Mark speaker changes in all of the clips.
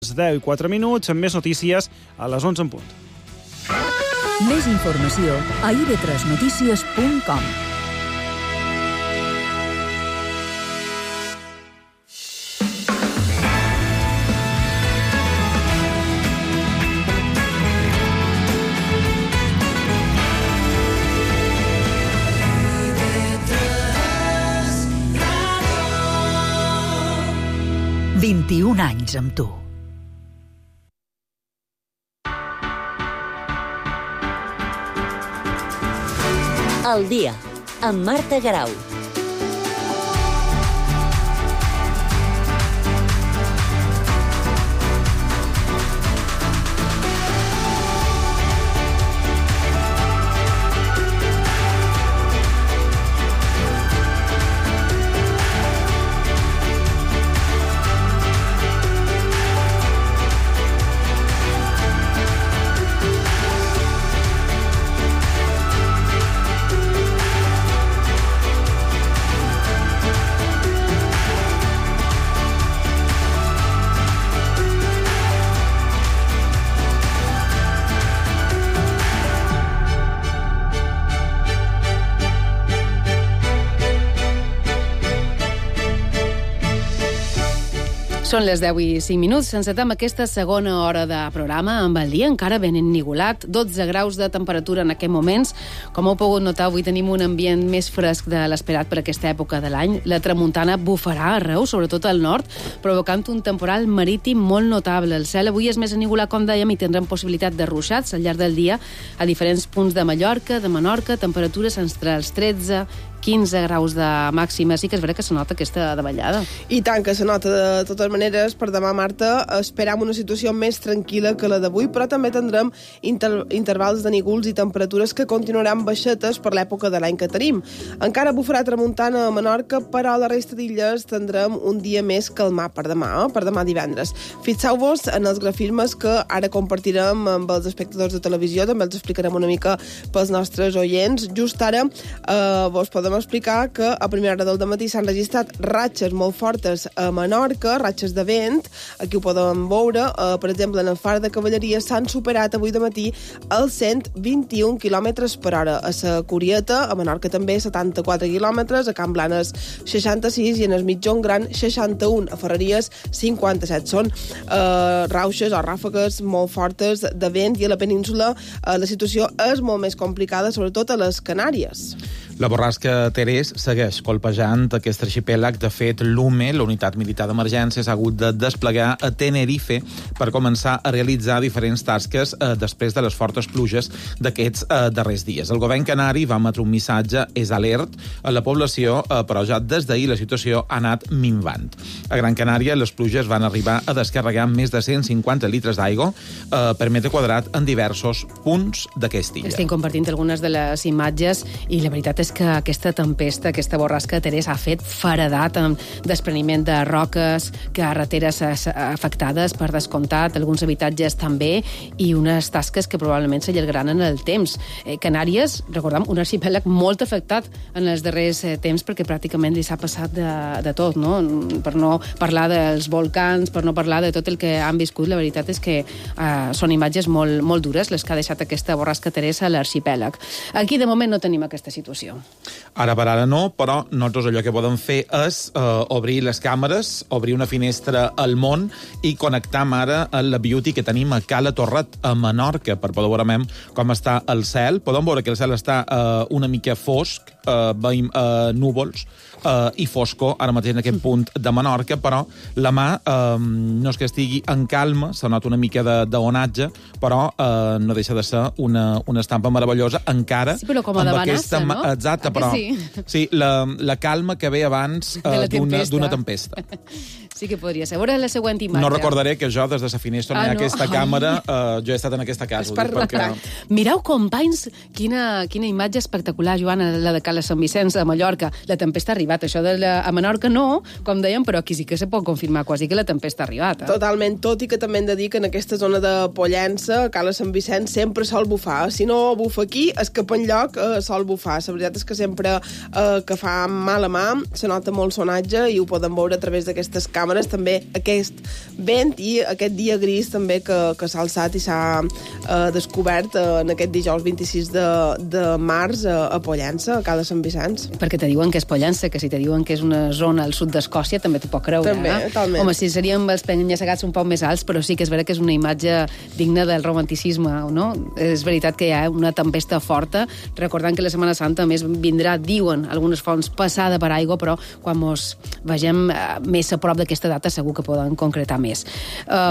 Speaker 1: 10:04, amb més notícies a les 11 en punt.
Speaker 2: Més informació a ib3notícies.com.
Speaker 3: IB3 21 anys amb tu.
Speaker 4: El dia, amb Marta Garau.
Speaker 5: Són les 10:05. Encetem aquesta segona hora de programa amb el dia encara ben ennigolat, 12 graus de temperatura en aquests moments. Com heu pogut notar, avui tenim un ambient més fresc de l'esperat per aquesta època de l'any. La tramuntana bufarà arreu, sobretot al nord, provocant un temporal marítim molt notable. El cel avui és més ennigolat, com dèiem, i tindrem possibilitat de ruixats al llarg del dia a diferents punts de Mallorca, de Menorca, temperatures entre els 13 15 graus de màxima. Sí que és vera que se nota aquesta davallada.
Speaker 6: I tant que se nota. De totes maneres, per demà, Marta, esperam una situació més tranquil·la que la d'avui, però també tindrem intervals de nígols i temperatures que continuaran baixetes per l'època de l'any que tenim. Encara bufarà tramuntana a Menorca, però a la resta d'illes tindrem un dia més calmat per demà divendres. Fixeu-vos en els grafismes que ara compartirem amb els espectadors de televisió, també els explicarem una mica pels nostres oients. Just ara vos podem explicar que a primera hora del dematí s'han registrat ratxes molt fortes a Menorca, ratxes de vent. Aquí ho podem veure. Per exemple, en el far de Cavalleria s'han superat avui dematí els 121 km per hora. A la Curieta, a Menorca també, 74 km, a Can Blanes 66 i en el Mitjon Gran 61. A Ferreries 57. Són rauxes o ràfegues molt fortes de vent i a la península la situació és molt més complicada, sobretot a les Canàries.
Speaker 7: La borrasca Terés segueix colpejant aquest arxipèlag. De fet, l'UME, la Unitat Militar d'Emergència, s'ha hagut de desplegar a Tenerife per començar a realitzar diferents tasques després de les fortes pluges d'aquests darrers dies. El govern canari va emetre un missatge, és alert, a la població, però ja des d'ahir la situació ha anat minvant. A Gran Canària, les pluges van arribar a descarregar més de 150 litres d'aigua per metre quadrat en diversos punts d'aquesta illa.
Speaker 5: Estic compartint algunes de les imatges i la veritat és que aquesta tempesta, aquesta borrasca de Terés ha fet feredat amb despreniment de roques, carreteres afectades per descomptat, alguns habitatges també, i unes tasques que probablement s'allargaran en el temps. Canàries, recordem, un arxipèlag molt afectat en els darrers temps perquè pràcticament li s'ha passat de tot, no? Per no parlar dels volcans, per no parlar de tot el que han viscut, la veritat és que són imatges molt, molt dures les que ha deixat aquesta borrasca Teresa a l'arxipèlag. Aquí, de moment, no tenim aquesta situació.
Speaker 7: Ara per ara no, però nosaltres allò que podem fer és obrir les càmeres, obrir una finestra al món i connectar ara a la beauty que tenim a Cala Torret, a Menorca, per poder veure com està el cel. Podem veure que el cel està una mica fosc, veiem núvols i fosco ara mateix en aquest punt de Menorca, però la mà no és que estigui en calma, se nota una mica d'onatge, però no deixa de ser una estampa meravellosa encara.
Speaker 5: Sí, però com a de Vanessa, no?
Speaker 7: Exacte, però sí, la calma que ve abans d'una tempesta.
Speaker 5: Sí que podria ser. A veure la següent imatge.
Speaker 7: No recordaré que jo, des de la finestra on hi ha aquesta càmera, jo he estat en aquesta casa.
Speaker 5: Perquè... Mireu, companys, quina imatge espectacular, Joana, la de Cala Sant Vicenç, a Mallorca. La tempesta ha arribat. Això a Menorca no, com dèiem, però aquí sí que se pot confirmar quasi que la tempesta ha arribat.
Speaker 6: Totalment, tot i que també hem de dir que en aquesta zona de Pollença, a Cala Sant Vicenç, sempre sol bufar. Si no bufa aquí, és que per enlloc sol bufar. La veritat és que sempre que fa mal a mà se nota molt sonatge i ho podem veure a través d'aquestes càmeres càmeres, també aquest vent i aquest dia gris també que s'ha alçat i s'ha descobert en aquest dijous 26 de març a Pollença, a Cala Sant Vicenç.
Speaker 5: Perquè te diuen que és Pollença, que si te diuen que és una zona al sud d'Escòcia, també t'ho pot creure.
Speaker 6: També, talment.
Speaker 5: Home, si seríem els penya-segats un poc més alts, però sí que és veritat que és una imatge digna del romanticisme, no? És veritat que hi ha una tempesta forta, recordant que la Setmana Santa més vindrà, diuen algunes fonts, passada per aigua, però quan mos vegem més a prop d'aquesta data segur que poden concretar més.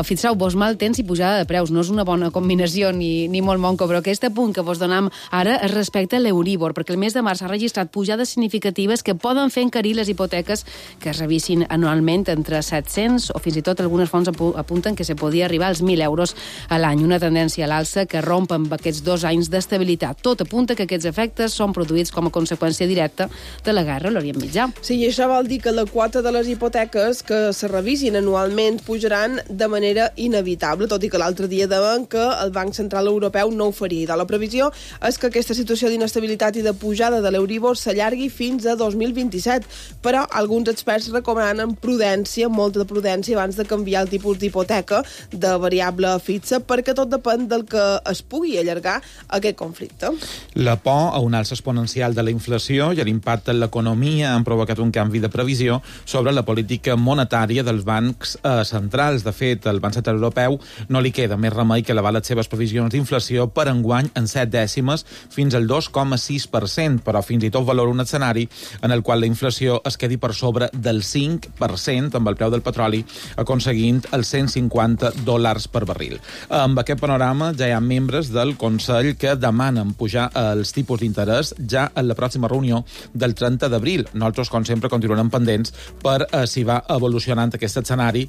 Speaker 5: Fixeu-vos, mal temps i pujada de preus. No és una bona combinació ni molt monco, però aquest punt que vos donam ara es respecte a l'Euríbor, perquè el mes de març ha registrat pujades significatives que poden fer encarir les hipoteques que es revisin anualment entre 700 o fins i tot algunes fonts apunten que se podia arribar als 1.000 euros a l'any. Una tendència a l'alça que romp amb aquests 2 anys d'estabilitat. Tot apunta que aquests efectes són produïts com a conseqüència directa de la guerra a l'Orient Mitjà.
Speaker 6: Sí, i això vol dir que la quota de les hipoteques que se revisin anualment pujaran de manera inevitable, tot i que l'altre dia deien que el Banc Central Europeu no ho faria. La previsió és que aquesta situació d'inestabilitat i de pujada de l'Euríbor s'allargui fins a 2027, però alguns experts recomanen prudència, molta prudència, abans de canviar el tipus d'hipoteca de variable fixa, perquè tot depèn del que es pugui allargar aquest conflicte.
Speaker 7: La por a una alça exponencial de la inflació i l'impacte en l'economia han provocat un canvi de previsió sobre la política monetària dels bancs centrals. De fet, el Banc Central Europeu no li queda més remei que elevar les seves previsions d'inflació per enguany en 7 dècimes fins al 2,6%, però fins i tot valora un escenari en el qual la inflació es quedi per sobre del 5% amb el preu del petroli, aconseguint els $150 per barril. Amb aquest panorama ja hi ha membres del Consell que demanen pujar els tipus d'interès ja en la pròxima reunió del 30 d'abril. Nosaltres, com sempre, continuarem pendents per si va evolucionant aquest escenari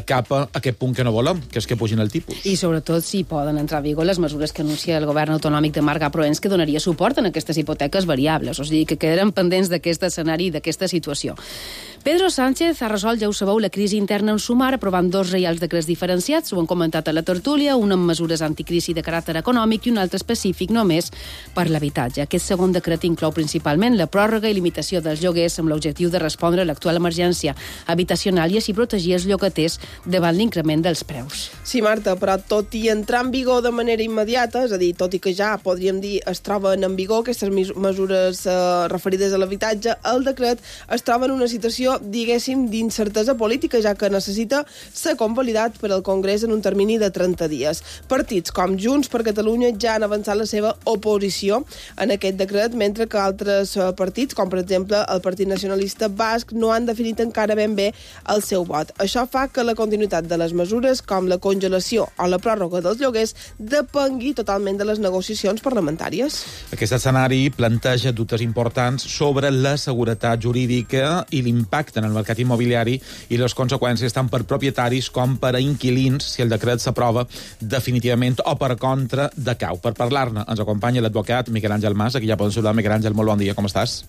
Speaker 7: cap a aquest punt que no volem, que és que pugin el tipus.
Speaker 5: I sobretot si poden entrar a vigor les mesures que anuncia el govern autonòmic de Marc Proens, que donaria suport en aquestes hipoteques variables. O sigui, que quedarem pendents d'aquest escenari i d'aquesta situació. Pedro Sánchez ha resolt, ja ho sabeu, la crisi interna en Sumar, aprovant 2 reials decrets diferenciats, ho han comentat a la tertúlia, un amb mesures anticrisi de caràcter econòmic i un altre específic només per l'habitatge. Aquest segon decret inclou principalment la pròrroga i limitació dels lloguers amb l'objectiu de respondre a l'actual emergència habitacional i així protegir els llogaters davant l'increment dels preus.
Speaker 6: Sí, Marta, però tot i entrar en vigor de manera immediata, és a dir, tot i que ja, podríem dir, es troben en vigor aquestes mesures referides a l'habitatge, el decret es troba en una situació, diguéssim, d'incertesa política, ja que necessita ser convalidat per al Congrés en un termini de 30 dies. Partits com Junts per Catalunya ja han avançat la seva oposició en aquest decret, mentre que altres partits, com per exemple el Partit Nacionalista Basc, no han definit encara ben bé el seu vot. Això fa que la continuïtat de les mesures, com la congelació o la pròrroga dels lloguers, depengui totalment de les negociacions parlamentàries.
Speaker 7: Aquest escenari planteja dubtes importants sobre la seguretat jurídica i l'impacte en el mercat immobiliari i les conseqüències tant per propietaris com per a inquilins si el decret s'aprova definitivament o per contra decau. Per parlar-ne ens acompanya l'advocat Miquel Àngel Mas, aquí ja poden saludar. Miquel Àngel, molt bon dia, com estàs?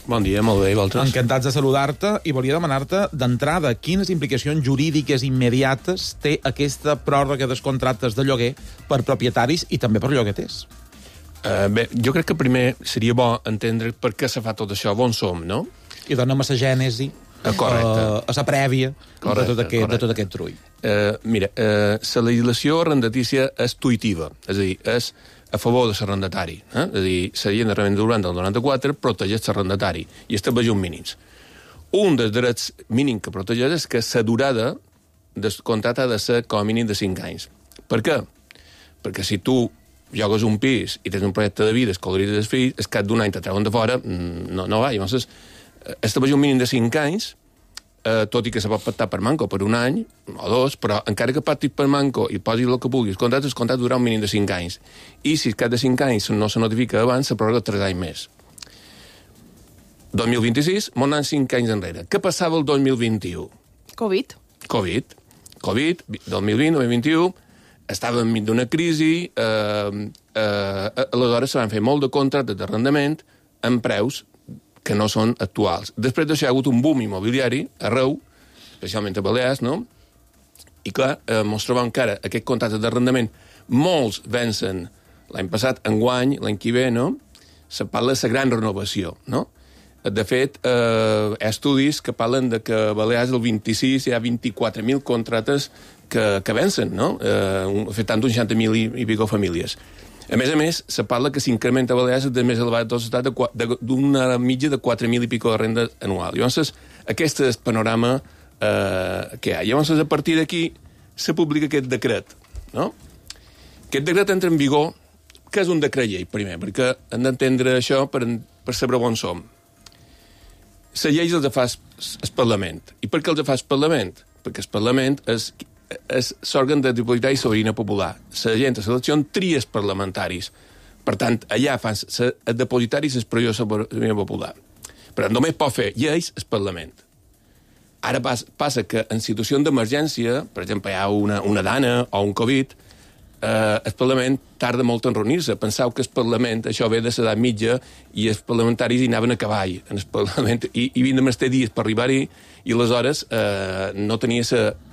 Speaker 8: Bon dia, molt bé, i vosaltres?
Speaker 7: Encantats de saludar-te i volia demanar-te d'entrada quines implicacions jurídiques immediates té aquesta pròrroga dels contractes de lloguer per propietaris i també per llogaters.
Speaker 8: Bé, jo crec que primer seria bo entendre per què se fa tot això, on som, no?
Speaker 7: I dona'm a la gènesi, a la prèvia de tot aquest trull.
Speaker 8: Mira, la legislació arrendatícia és tuitiva, és a dir, és a favor de l'arrendatari. És a dir, la llei d'arrendament urbà del 94 protegeix l'arrendatari i estableix uns mínims. Un dels drets mínims que protegeix és que la durada del contracte ha de ser com a mínim de 5 anys. Per què? Perquè si tu jogues un pis i tens un projecte de vida, escolaritzes els fills, és cap d'un any te treuen de fora, no va. Llavors, estableix un mínim de 5 anys, tot i que se pot pactar per manco per un any o 2, però encara que pactis per manco i posis el que puguis, el contracte durarà un mínim de 5 anys. I si cap de 5 anys no se notifica abans, se prorroga 3 anys més. 2026, m'ho anem 5 anys enrere. Què passava el 2021?
Speaker 6: Covid,
Speaker 8: 2020-2021, estava enmig d'una crisi, aleshores se van fer molt de contractes d'arrendament amb preus que no són actuals. Després d'això hi ha hagut un boom immobiliari arreu, especialment a Balears, no? I clar, ens trobem que ara aquest contracte d'arrendament, molts vencen l'any passat, enguany, l'any que ve, no? Se parla de la gran renovació, no? De fet, hi ha estudis que parlen de que a Balears el 26 hi ha 24.000 contractes que vencen, no? Afectant uns 60.000 i pico famílies. A més, se parla que s'incrementa a Balears de més elevat de l'estat d'una mitja de 4.000 i pico de renda anual. Llavors, aquest és el panorama que hi ha. Llavors, a partir d'aquí, se publica aquest decret, no? Aquest decret entra en vigor. Què és un decret llei, primer? Perquè hem d'entendre això per saber on som. Les lleis els fa el Parlament. I per què els fa el Parlament? Perquè el Parlament és l'òrgan de dipositat i sobirania popular. La gent a l'elecció tria els parlamentaris. Per tant, allà fan els depositaris l'expressió de sobirania popular. Per tant, només pot fer lleis el Parlament. Ara passa que en situació d'emergència, per exemple, hi ha una dana o un Covid, el Parlament tarda molt en reunir-se. Penseu que el Parlament, això ve de l'edat mitja, i els parlamentaris hi anaven a cavall en el Parlament, i havien de mestar dies per arribar-hi, i aleshores no tenia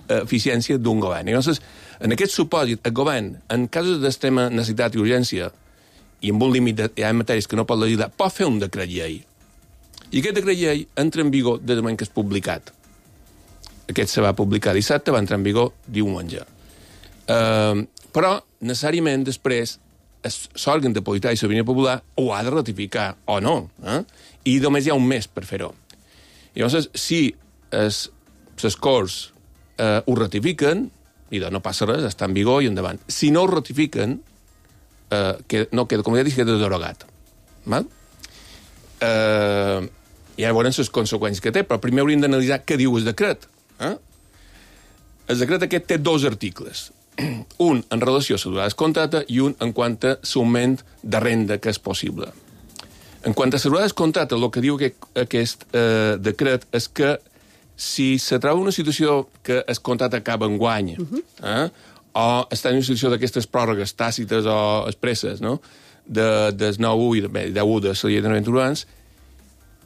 Speaker 8: l'eficiència d'un govern. Llavors, en aquest supòsit, el govern, en casos d'extrema necessitat i urgència, i amb un límit hi ha matèries que no pot legislar, pot fer un decret llei. I aquest decret llei entra en vigor des del moment que és publicat. Aquest se va publicar dissabte, va entrar en vigor diumenge. Però, necessàriament, després, l'òrgan de política i sobirania popular ho ha de ratificar, o no. I només hi ha un mes per fer-ho. Llavors, si les Corts ho ratifiquen, i no passa res, està en vigor i endavant. Si no ho ratifiquen, no queda, com ja dic, queda derogat. Ja veurem les conseqüències que té, però primer hauríem d'analitzar què diu el decret. El decret aquest té 2 articles. Un en relació a la durada del contracte i un en quant a l'augment de renda que és possible. En quant a la durada del contracte, el que diu aquest decret és que si se troba una situació que el contracte acaba en guany, o està en una situació d'aquestes pròrrogues tàcites o expresses, no? Del 9-1 i 10-1 de la llei d'arrendaments urbans,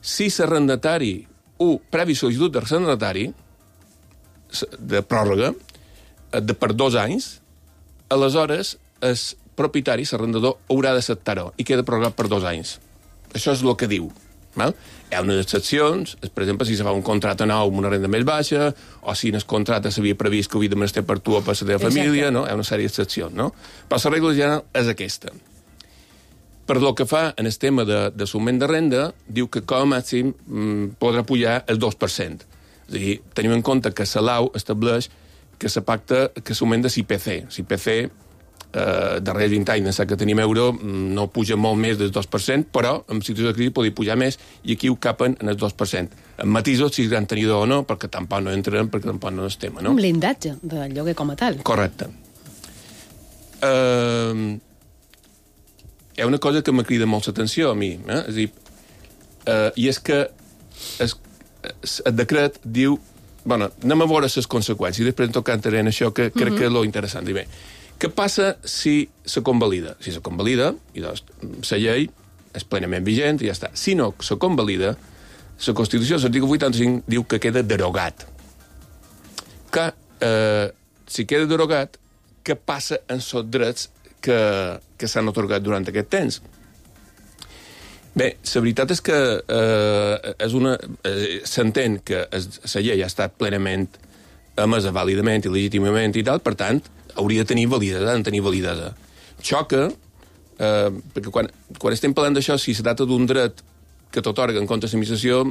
Speaker 8: si l'arrendatari, previ sol·licitud d'arrendatari, de pròrroga, per 2 anys, aleshores el propietari, l'arrendador, haurà d'acceptar-ho i queda prorrogat per 2 anys. Això és el que diu. Hi ha unes excepcions, per exemple, si se fa un contracte nou amb una renda més baixa, o si en el contracte s'havia previst que havia de menester per tu o per la teva família, no? Hi ha una sèrie d'excepcions, no? Però la regla general és aquesta. Per lo que fa en el tema de l'augment de renda, diu que com a màxim podrà pujar el 2%. És a dir, tenim en compte que la LAU estableix que se pacta que s'augment de l'IPC. L'IPC, darrere 20 anys, que tenim euro, no puja molt més del 2%, però en situació de crisi podria pujar més, i aquí ho capen en el 2%. En matisos, si és gran tenidor o no, perquè tampoc no entrarem, perquè tampoc no és tema, no?
Speaker 5: Un blindatge del lloguer com a tal.
Speaker 8: Correcte. Hi ha una cosa que me crida molt l'atenció a mi, és a dir, i és que el decret diu... Bueno, anem a veure les conseqüències, i després en tot cas entraré en això, que crec que és lo interessant. Bé, què passa si se convalida? Si se convalida, i doncs la llei és plenament vigent i ja està. Si no se convalida, la Constitució, l'article 85, diu que queda derogat. Si queda derogat, què passa amb els drets que s'han atorgat durant aquest temps? Bé, la veritat és que s'entén que la llei ha estat plenament emesa vàlidament i legítimament i tal, per tant, hauria de tenir validesa. Xoca, perquè quan estem parlant d'això, si se tracta d'un dret que t'atorga en contra de l'administració,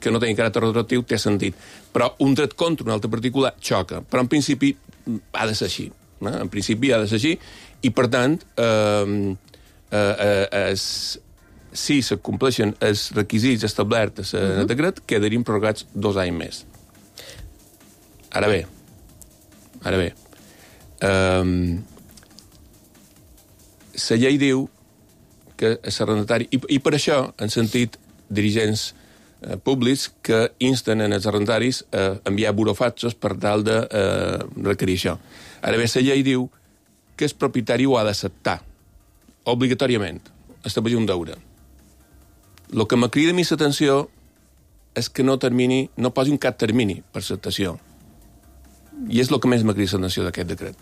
Speaker 8: que no té caràcter retroactiu, té sentit. Però un dret contra un altre particular xoca. Però en principi ha de ser així. En principi ha de ser així, i per tant, si se compleixen els requisits establerts en el decret, quedarien prorrogats 2 anys més. Ara bé, la llei diu que l'arrendatari, i per això han sentit dirigents públics que insten en els arrendataris a enviar burofaxos per tal de requerir això. Ara bé, la llei diu que el propietari ho ha d'acceptar, obligatòriament, establir un deure. El que me crida a mi l'atenció és que no posi un cap termini per l'acceptació. I és el que més me crida l'atenció d'aquest decret.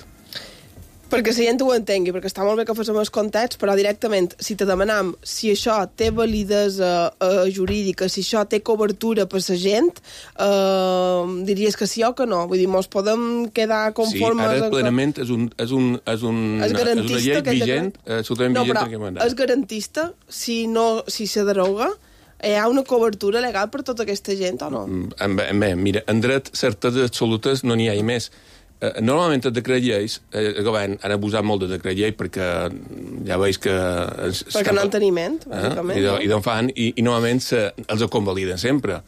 Speaker 6: Perquè la gent ho entengui, perquè està molt bé que féssim els context, però directament, si te demanam si això té validesa jurídica, si això té cobertura per la gent, diries que sí o que no? Vull dir, mos podem quedar conformes...
Speaker 8: Sí, ara plenament és una llei vigent, absolutament vigent en aquest mandat.
Speaker 6: És garantista si se deroga? Hi ha una cobertura legal per tota aquesta gent o no?
Speaker 8: Bé, mira, en dret certeses absolutes no n'hi ha més. Normalment el decret lleis, el govern han abusat molt de decret llei perquè ja veus que...
Speaker 6: Perquè no en teniment, bàsicament.
Speaker 8: I d'on fan, i normalment els ho convaliden sempre.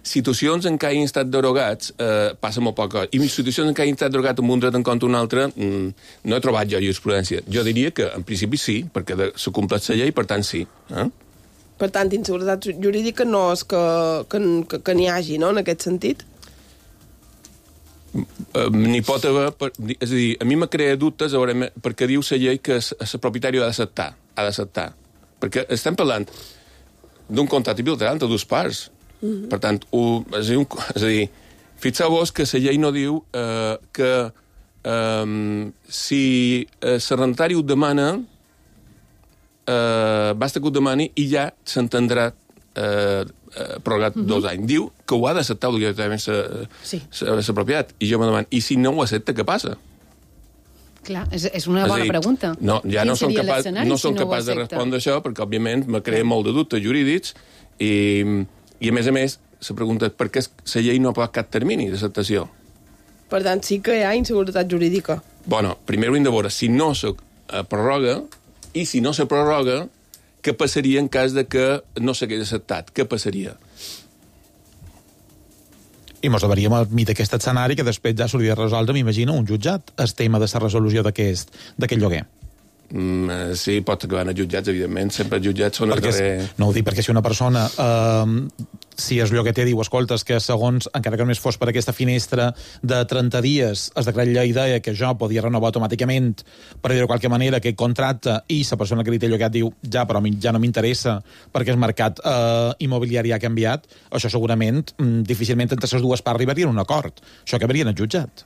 Speaker 8: Situacions en què hagin estat derogats passa molt poc. I situacions en què hagin estat derogats amb un dret en compte un altre no he trobat jo jurisprudència. Jo diria que en principi sí, perquè se compleix la llei, per tant sí.
Speaker 6: Per tant, inseguretat jurídica no és que n'hi hagi, no?, en aquest sentit?
Speaker 8: N'hi pot haver... És a dir, a mi me crea dubtes perquè diu la llei que el propietari ha d'acceptar. Perquè estem parlant d'un contracte bilateral entre dues parts. Per tant, és a dir, fixeu-vos que la llei no diu que si l'arrendatari ho demana, basta que ho demani i ja s'entendrà prorrogat 2 anys. Diu que ho ha d'acceptar obligatòriament la propietat. I jo me demano, i si no ho accepta, què passa?
Speaker 5: Clar, és una bona pregunta.
Speaker 8: No, ja no som capaç de respondre això, perquè, òbviament, me crea molt de dubtes jurídics i a més, se pregunta per què la llei no ha posat cap termini d'acceptació.
Speaker 6: Per tant, sí que hi ha inseguretat jurídica.
Speaker 8: Bueno, primer ho hem de veure si no se prorroga i si no se prorroga, què passaria en cas de que no s'hagués acceptat? Què passaria?
Speaker 7: I mos hauríem admit aquest escenari que després ja s'hauria de resoldre, m'imagino, un jutjat, el tema de la resolució d'aquest lloguer.
Speaker 8: Sí, pot acabar en jutjats, evidentment. Sempre els jutjats són el darrer...
Speaker 7: No ho dic perquè si una persona, si el llogater diu, escolta, que segons, encara que només fos per aquesta finestra de 30 dies, es decret llei deia que jo podia renovar automàticament, per dir-ho de qualque manera, aquest contracte, i la persona que li té llogat diu, ja, però ja no m'interessa perquè el mercat immobiliari ha canviat, això segurament, difícilment entre les dues parts arribarien a un acord. Això acabaria en el jutjat.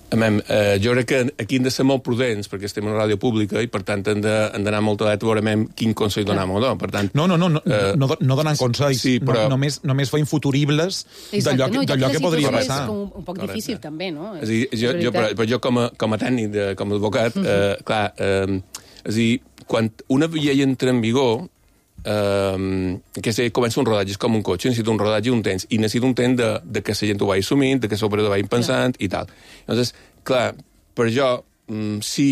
Speaker 8: Jo crec que aquí hem de ser molt prudents perquè estem en una ràdio pública i per tant hem d'anar molt alerta a veure quin consell donem o no. Per tant,
Speaker 7: no donant consells, sí, però... només feim futuribles d'allò que podria passar.
Speaker 5: És un poc difícil també, no?
Speaker 8: És a dir, jo com a tècnic, com a advocat, clar, és a dir, quan una llei entra en vigor, que comença un rodatge, és com un cotxe, necessita un rodatge i un temps, i necessita un temps de que la gent ho vagi assumint, de que l'operador vagi pensant i tal. Llavors, clar, per jo, si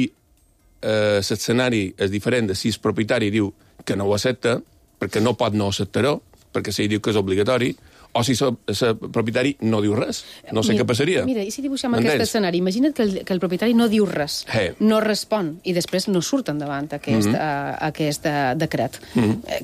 Speaker 8: l'escenari és diferent de si el propietari diu que no ho accepta, perquè no pot no acceptar-ho, perquè si diu que és obligatori, o si el propietari no diu res. No sé què passaria.
Speaker 5: Mira, i si dibuixem aquest escenari? Imagina't que el propietari no diu res, no respon, i després no surt endavant aquest decret.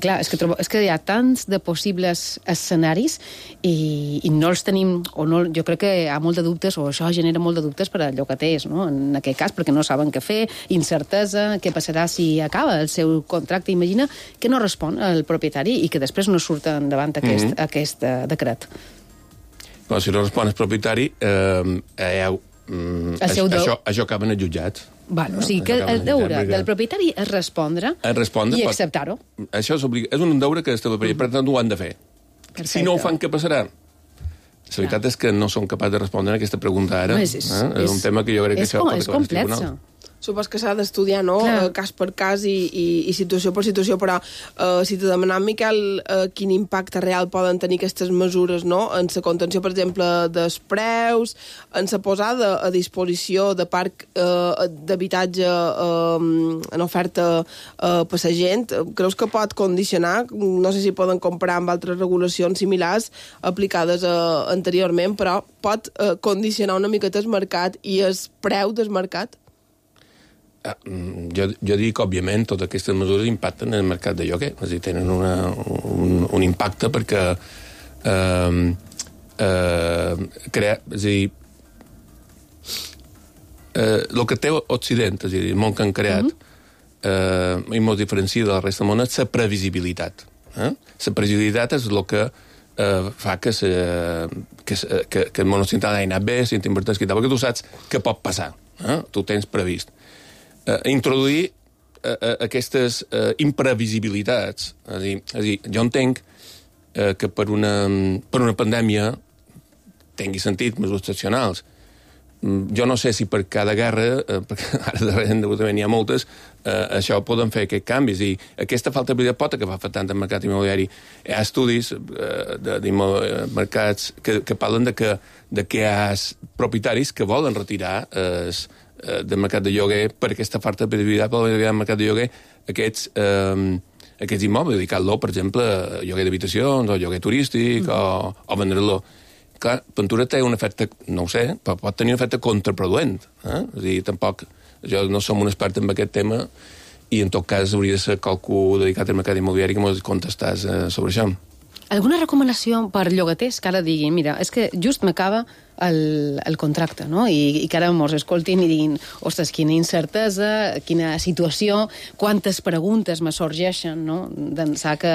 Speaker 5: Clar, és que hi ha tants de possibles escenaris i no els tenim, o no, jo crec que hi ha molt de dubtes, o això genera molt de dubtes per a llogaters, no? En aquest cas, perquè no saben què fer, incertesa, què passarà si acaba el seu contracte. Imagina que no respon el propietari i que després no surt endavant aquest decret.
Speaker 8: Però si no respon el propietari, això acaba en els jutjats.
Speaker 5: O sigui que el deure del propietari és respondre i acceptar-ho.
Speaker 8: Això és un deure que per tant ho han de fer. Si no ho fan, què passarà? La veritat és que no són capaços de respondre a aquesta pregunta ara. És un tema que jo crec que això pot acabar als tribunals.
Speaker 6: Supos que s'ha d'estudiar, no?, cas per cas i situació per situació, però si te demanem, Miquel, quin impacte real poden tenir aquestes mesures, no?, en la contenció, per exemple, dels preus, en la posada a disposició de parc d'habitatge en oferta per la gent, creus que pot condicionar? No sé si poden comparar amb altres regulacions similars aplicades anteriorment, però pot condicionar una miqueta el mercat i el preu del mercat?
Speaker 8: Jo dic que, òbviament, totes aquestes mesures impacten en el mercat de lloguer. És a dir, tenen un impacte perquè és a dir, el que té Occident, és a dir, el món que han creat, i molt diferencia de la resta del món, és la previsibilitat. La previsibilitat és el que fa que el món occidental hagi anat bé, si t'inverteix i tal, perquè tu saps què pot passar. Tu tens previst. Introduir aquestes imprevisibilitats, és a dir, jo entenc que per una pandèmia tingui sentit mesures excepcionals. Jo no sé si per cada guerra, perquè ara darrere també n'hi ha moltes, això poden fer aquests canvis. I aquesta falta de prioritat pot acabar afectant el mercat immobiliari. Hi ha estudis de mercats que parlen de que hi ha propietaris que volen retirar del mercat de lloguer per aquesta falta de prioritat, volen retirar del mercat de lloguer aquests immobles, dedicar-lo, per exemple, a lloguer d'habitacions, o lloguer turístic, o vendre-lo. Clar, Ventura té un efecte, no ho sé, però pot tenir un efecte contraproduent. És a dir, tampoc, jo no som un expert en aquest tema i en tot cas hauria de ser qualcú dedicat al mercat immobiliari que mos contestàs sobre això.
Speaker 5: Alguna recomanació per llogaters que ara diguin, mira, és que just m'acaba el contracte, no? I que ara mos escoltin i diguin, ostres, quina incertesa, quina situació, quantes preguntes me sorgeixen, no? D'ençà que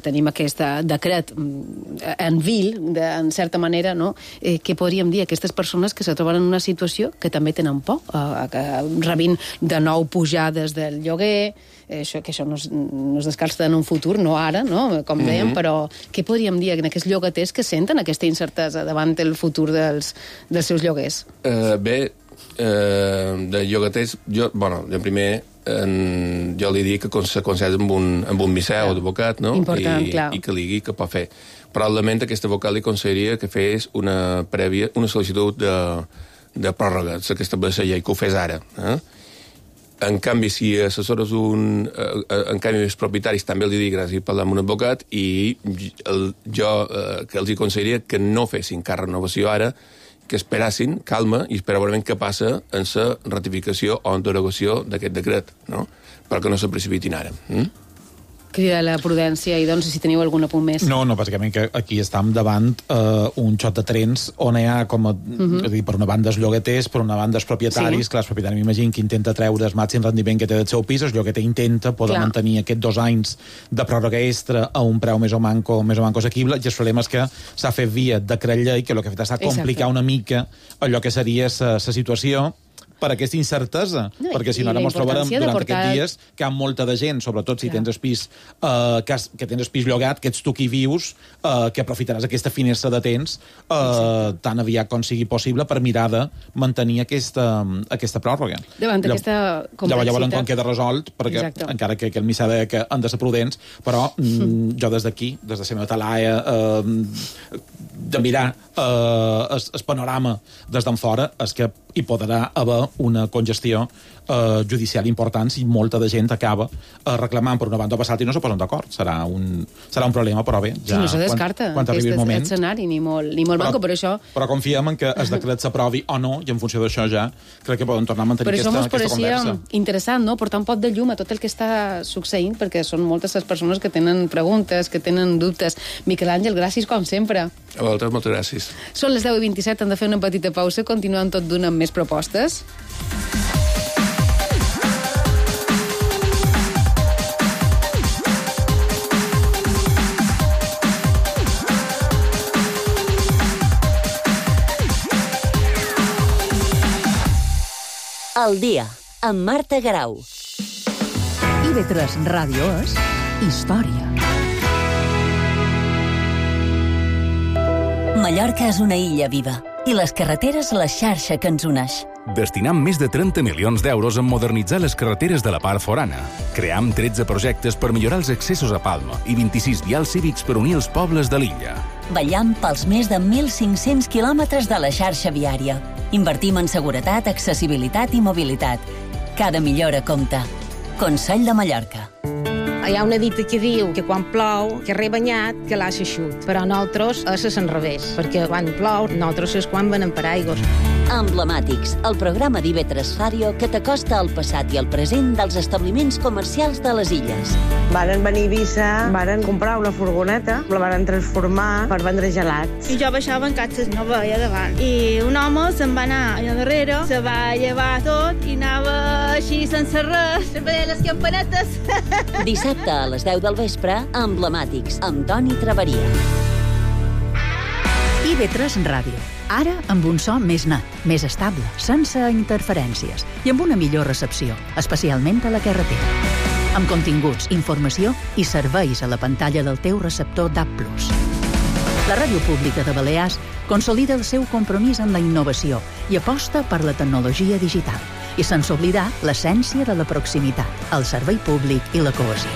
Speaker 5: tenim aquest decret en vil, en certa manera, no? Què podríem dir a aquestes persones que se troben en una situació que també tenen por, que rebin de nou pujades del lloguer, que això no es descarta en un futur, no ara, no? Com dèiem, però què podríem dir a aquests llogaters que senten aquesta incertesa davant el futur dels seus lloguers?
Speaker 8: Bé, de llogaters, jo primer jo li dic que s'aconsella amb un miseu d'advocat, no?
Speaker 5: Important, clar.
Speaker 8: I que li digui què pot fer. Probablement aquest advocat li aconsellaria que fes una sol·licitud de pròrroga, que estableix la llei, que ho fes ara. En canvi, si assessores en canvi, els propietaris també els dic gràcies per parlar amb un advocat i jo que els aconsellaria que no fessin cap renovació ara, que esperassin, calma, i esperar veure què passa en la ratificació o en derogació d'aquest decret, no? Perquè no se precipitin ara.
Speaker 5: Crida la prudència i doncs si teniu algun apunt més.
Speaker 7: No, bàsicament que aquí estem davant un xot de trens on hi ha com per una banda els llogaters, per una banda els propietaris, clar, els propietaris m'imagino que intenta treure el màxim rendiment que té del seu pis, el llogater intenta poder mantenir aquests 2 anys de pròrroga extra a un preu més o manco assequible, i el problema és que s'ha fet via decret llei, que el que ha fet és complicar una mica allò que seria la situació per aquesta incertesa, perquè si no ara ens trobarem durant aquests dies que hi ha molta de gent, sobretot si tens el pis que tens el pis llogat, que ets tu qui vius, que aprofitaràs aquesta finestra de temps tan aviat com sigui possible per mirar de mantenir aquesta pròrroga.
Speaker 5: Davant d'aquesta complexitat.
Speaker 7: Llavors quan queda resolt, perquè encara que el missà deia que han de ser prudents, però jo des d'aquí, des de la meva talaia, de mirar el panorama des d'en fora, és que hi podrà haver una congestió judicial important si molta de gent acaba reclamant per una banda o per l'altra i no se posen d'acord. Serà un problema, però bé, ja,
Speaker 5: sí, no se descarta
Speaker 7: quan arribi el moment.
Speaker 5: Escenari, ni molt manco, per això...
Speaker 7: Però confiem en que el decret s'aprovi o no, i en funció d'això ja crec que poden tornar a mantenir aquesta conversa.
Speaker 5: Per això ens pareixia interessant, no?, portar un pot de llum a tot el que està succeint, perquè són moltes les persones que tenen preguntes, que tenen dubtes. Miquel Àngel, gràcies com sempre.
Speaker 8: A vosaltres, moltes gràcies.
Speaker 5: Són les 10:27, hem de fer una petita pausa, continuem tot d'una amb més propostes.
Speaker 4: El dia, amb Marta Garau.
Speaker 2: IB3 Ràdio és història.
Speaker 4: Mallorca és una illa viva i les carreteres la xarxa que ens uneix.
Speaker 9: Destinam més de 30 milions d'euros en modernitzar les carreteres de la part forana. Cream 13 projectes per millorar els accessos a Palma i 26 vials cívics per unir els pobles de l'illa.
Speaker 4: Vetllam pels més de 1.500 quilòmetres de la xarxa viària. Invertim en seguretat, accessibilitat i mobilitat. Cada millora compta. Consell de Mallorca.
Speaker 10: Hi ha una dita que diu que quan plou, que rebanyat, que l'ha s'eixut. Però nosaltres és l'enrevés, perquè quan plou, nosaltres és quan venem per aigües.
Speaker 4: Emblemàtics, el programa d'IB3 Ràdio que t'acosta al passat i al present dels establiments comercials de les illes.
Speaker 11: Varen venir a Eivissa, varen comprar una furgoneta, la varen transformar per vendre gelats.
Speaker 12: I jo baixava en catxes, no veia davant. I un home se'n va anar allà darrere, se va llevar tot i anava així sense res, se veia les campanetes.
Speaker 4: Dissabte a les 10 del vespre, Emblemàtics, amb Toni Traveria.
Speaker 3: IB3 Ràdio. Ara amb un so més net, més estable, sense interferències i amb una millor recepció, especialment a la carretera. Amb continguts, informació i serveis a la pantalla del teu receptor DAB+. La Ràdio Pública de Balears consolida el seu compromís amb la innovació i aposta per la tecnologia digital, i sense oblidar l'essència de la proximitat, el servei públic i la cohesió.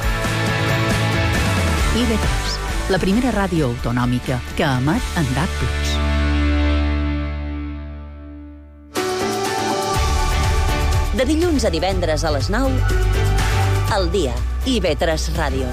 Speaker 3: IB3, la primera ràdio autonòmica que emet en DAB+.
Speaker 4: De dilluns a divendres a les 9, al dia, IB3 Ràdio.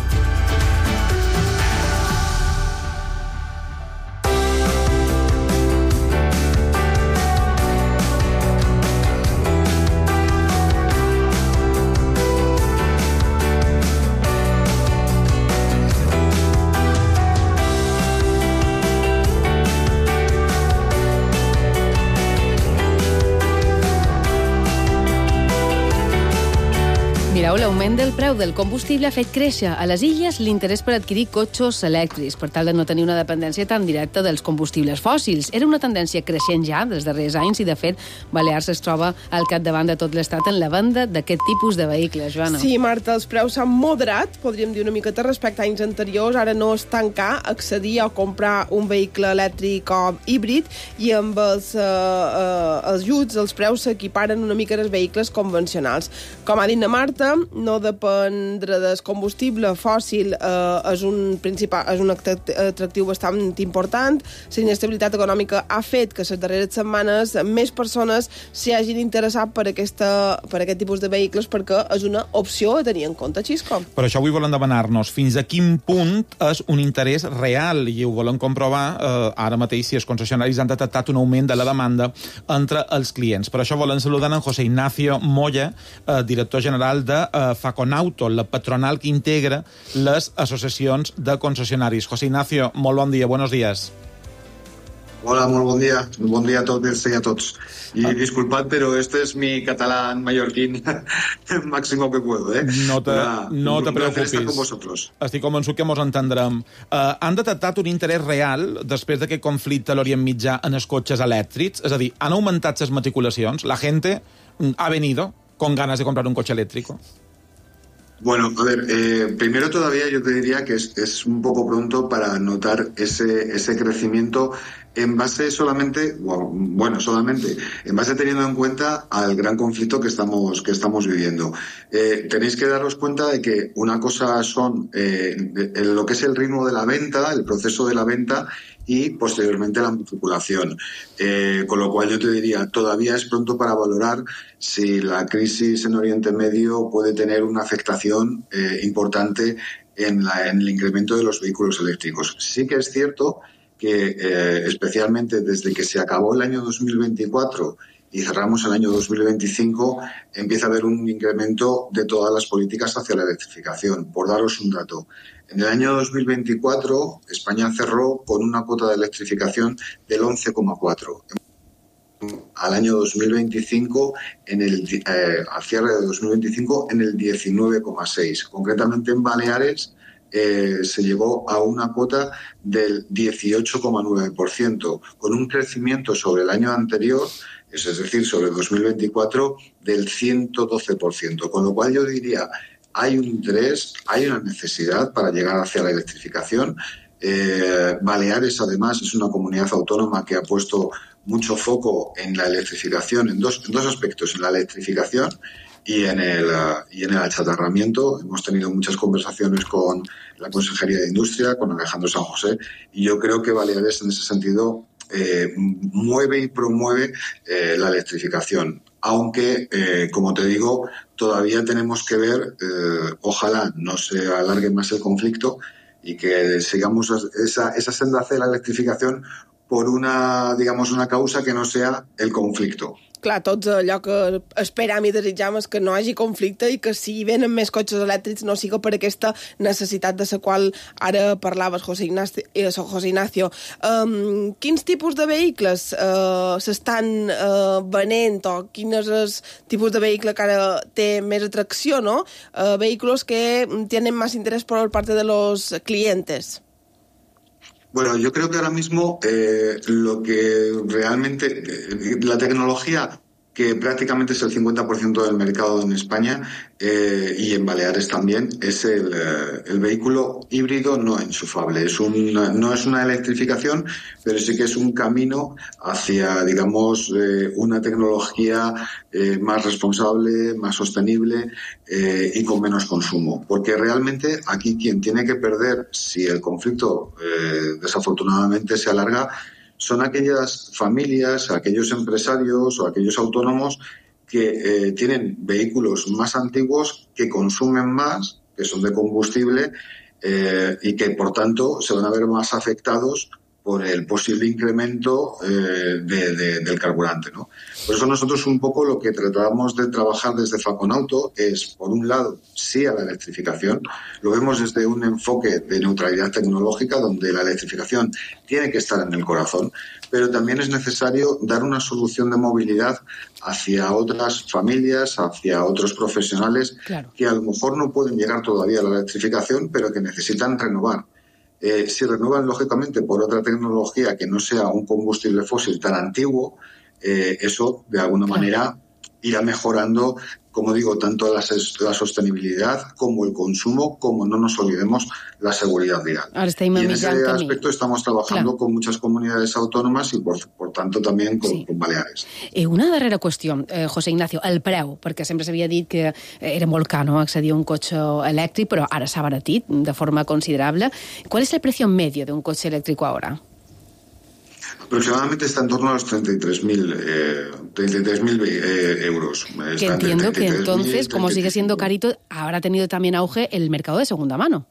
Speaker 5: Mireu, l'augment del preu del combustible ha fet créixer a les illes l'interès per adquirir cotxes elèctrics, per tal de no tenir una dependència tan directa dels combustibles fòssils. Era una tendència creixent ja dels darrers anys i, de fet, Balears es troba al capdavant de tot l'estat en la venda d'aquest tipus de vehicles, Joana.
Speaker 6: Sí, Marta, els preus s'han moderat, podríem dir una miqueta respecte a anys anteriors. Ara no és tan car accedir a comprar un vehicle elèctric o híbrid i amb els ajuts els preus s'equiparen una mica als vehicles convencionals. Com ha dit la Marta, no dependre del combustible fòssil és un atractiu bastant important. La inestabilitat econòmica ha fet que les darreres setmanes més persones s'hi hagin interessat per aquest tipus de vehicles perquè és una opció a tenir en compte, Xisco.
Speaker 7: Per això avui volen demanar-nos fins a quin punt és un interès real i ho volen comprovar ara mateix si els concessionaris han detectat un augment de la demanda entre els clients. Per això volen saludar en José Ignacio Moya, director general de Faconauto, la patronal que integra les associacions de concessionaris. José Ignacio, molt bon dia, buenos días.
Speaker 13: Hola, molt bon dia. Bon dia a totes i a tots. Y disculpad, pero este es mi catalán mallorquín máximo que puedo, ¿eh?
Speaker 7: No te preocupis.
Speaker 13: Estar con vosotros.
Speaker 7: Estic convençut que mos entendrem. Han detectat un interès real després d'aquest conflicte a l'Orient Mitjà en els cotxes elèctrics? És a dir, han augmentat les matriculacions? La gente ha venido con ganas de comprar un coche eléctrico?
Speaker 13: Bueno, a ver, primero todavía yo te diría que es un poco pronto para notar ese crecimiento en base solamente, en base teniendo en cuenta al gran conflicto que estamos viviendo. Tenéis que daros cuenta de que una cosa son lo que es el ritmo de la venta, el proceso de la venta, y posteriormente la matriculación. Con lo cual yo te diría, todavía es pronto para valorar si la crisis en Oriente Medio puede tener una afectación importante en el incremento de los vehículos eléctricos. Sí que es cierto que especialmente desde que se acabó el año 2024 y cerramos el año 2025, empieza a haber un incremento de todas las políticas hacia la electrificación. Por daros un dato, en el año 2024 España cerró con una cuota de electrificación del 11,4%. Al año 2025, al cierre de 2025, en el 19,6%. Concretamente en Baleares se llegó a una cuota del 18,9%, con un crecimiento sobre el año anterior, es decir, sobre 2024, del 112%. Con lo cual yo diría, hay un interés, hay una necesidad para llegar hacia la electrificación. Baleares, además, es una comunidad autónoma que ha puesto mucho foco en la electrificación, en dos aspectos, en la electrificación y en el achatarramiento. Hemos tenido muchas conversaciones con la Consejería de Industria, con Alejandro San José, y yo creo que Baleares en ese sentido mueve y promueve la electrificación. Aunque, como te digo, todavía tenemos que ver, ojalá no se alargue más el conflicto y que sigamos esa senda hacia la electrificación por una causa que no sea el conflicto.
Speaker 6: Clar, tots allò que esperam i desitjam és que no hi hagi conflicte i que si venen més cotxes elèctrics no siga per aquesta necessitat de la qual ara parlaves, José Ignacio. Quins tipus de vehicles s'estan venent o quin és el tipus de vehicle que ara té més atracció, no? Vehículos que tienen más interés por parte de los clientes.
Speaker 13: Bueno, yo creo que ahora mismo lo que realmente la tecnología, que prácticamente es el 50% del mercado en España y en Baleares también, es el vehículo híbrido no enchufable. No es una electrificación, pero sí que es un camino hacia, digamos, una tecnología más responsable, más sostenible y con menos consumo. Porque realmente aquí quien tiene que perder, si el conflicto desafortunadamente se alarga, son aquellas familias, aquellos empresarios o aquellos autónomos que tienen vehículos más antiguos, que consumen más, que son de combustible y que, por tanto, se van a ver más afectados por el posible incremento del carburante, ¿no? Por eso nosotros un poco lo que tratamos de trabajar desde Faconauto es, por un lado, sí a la electrificación. Lo vemos desde un enfoque de neutralidad tecnológica, donde la electrificación tiene que estar en el corazón, pero también es necesario dar una solución de movilidad hacia otras familias, hacia otros profesionales, claro, que a lo mejor no pueden llegar todavía a la electrificación, pero que necesitan renovar. Si renuevan, lógicamente, por otra tecnología que no sea un combustible fósil tan antiguo, eso, de alguna manera, irá mejorando, como digo, tanto la sostenibilidad como el consumo, como no nos olvidemos la seguridad vial. Y en ese aspecto estamos trabajando con muchas comunitats autònomes i, por tanto, també con Baleares.
Speaker 5: Una darrera qüestió, José Ignacio, el preu, perquè sempre s'havia dit que era molt car, no?, accedir a un cotxe elèctric, però ara s'ha abaratit de forma considerable. ¿Cuál es el precio medio de un coche eléctrico ahora?
Speaker 13: Aproximadamente está en torno a los 33.000 euros.
Speaker 5: Que entiendo que entonces, como sigue siendo carito, habrá tenido también auge el mercado de segunda mano.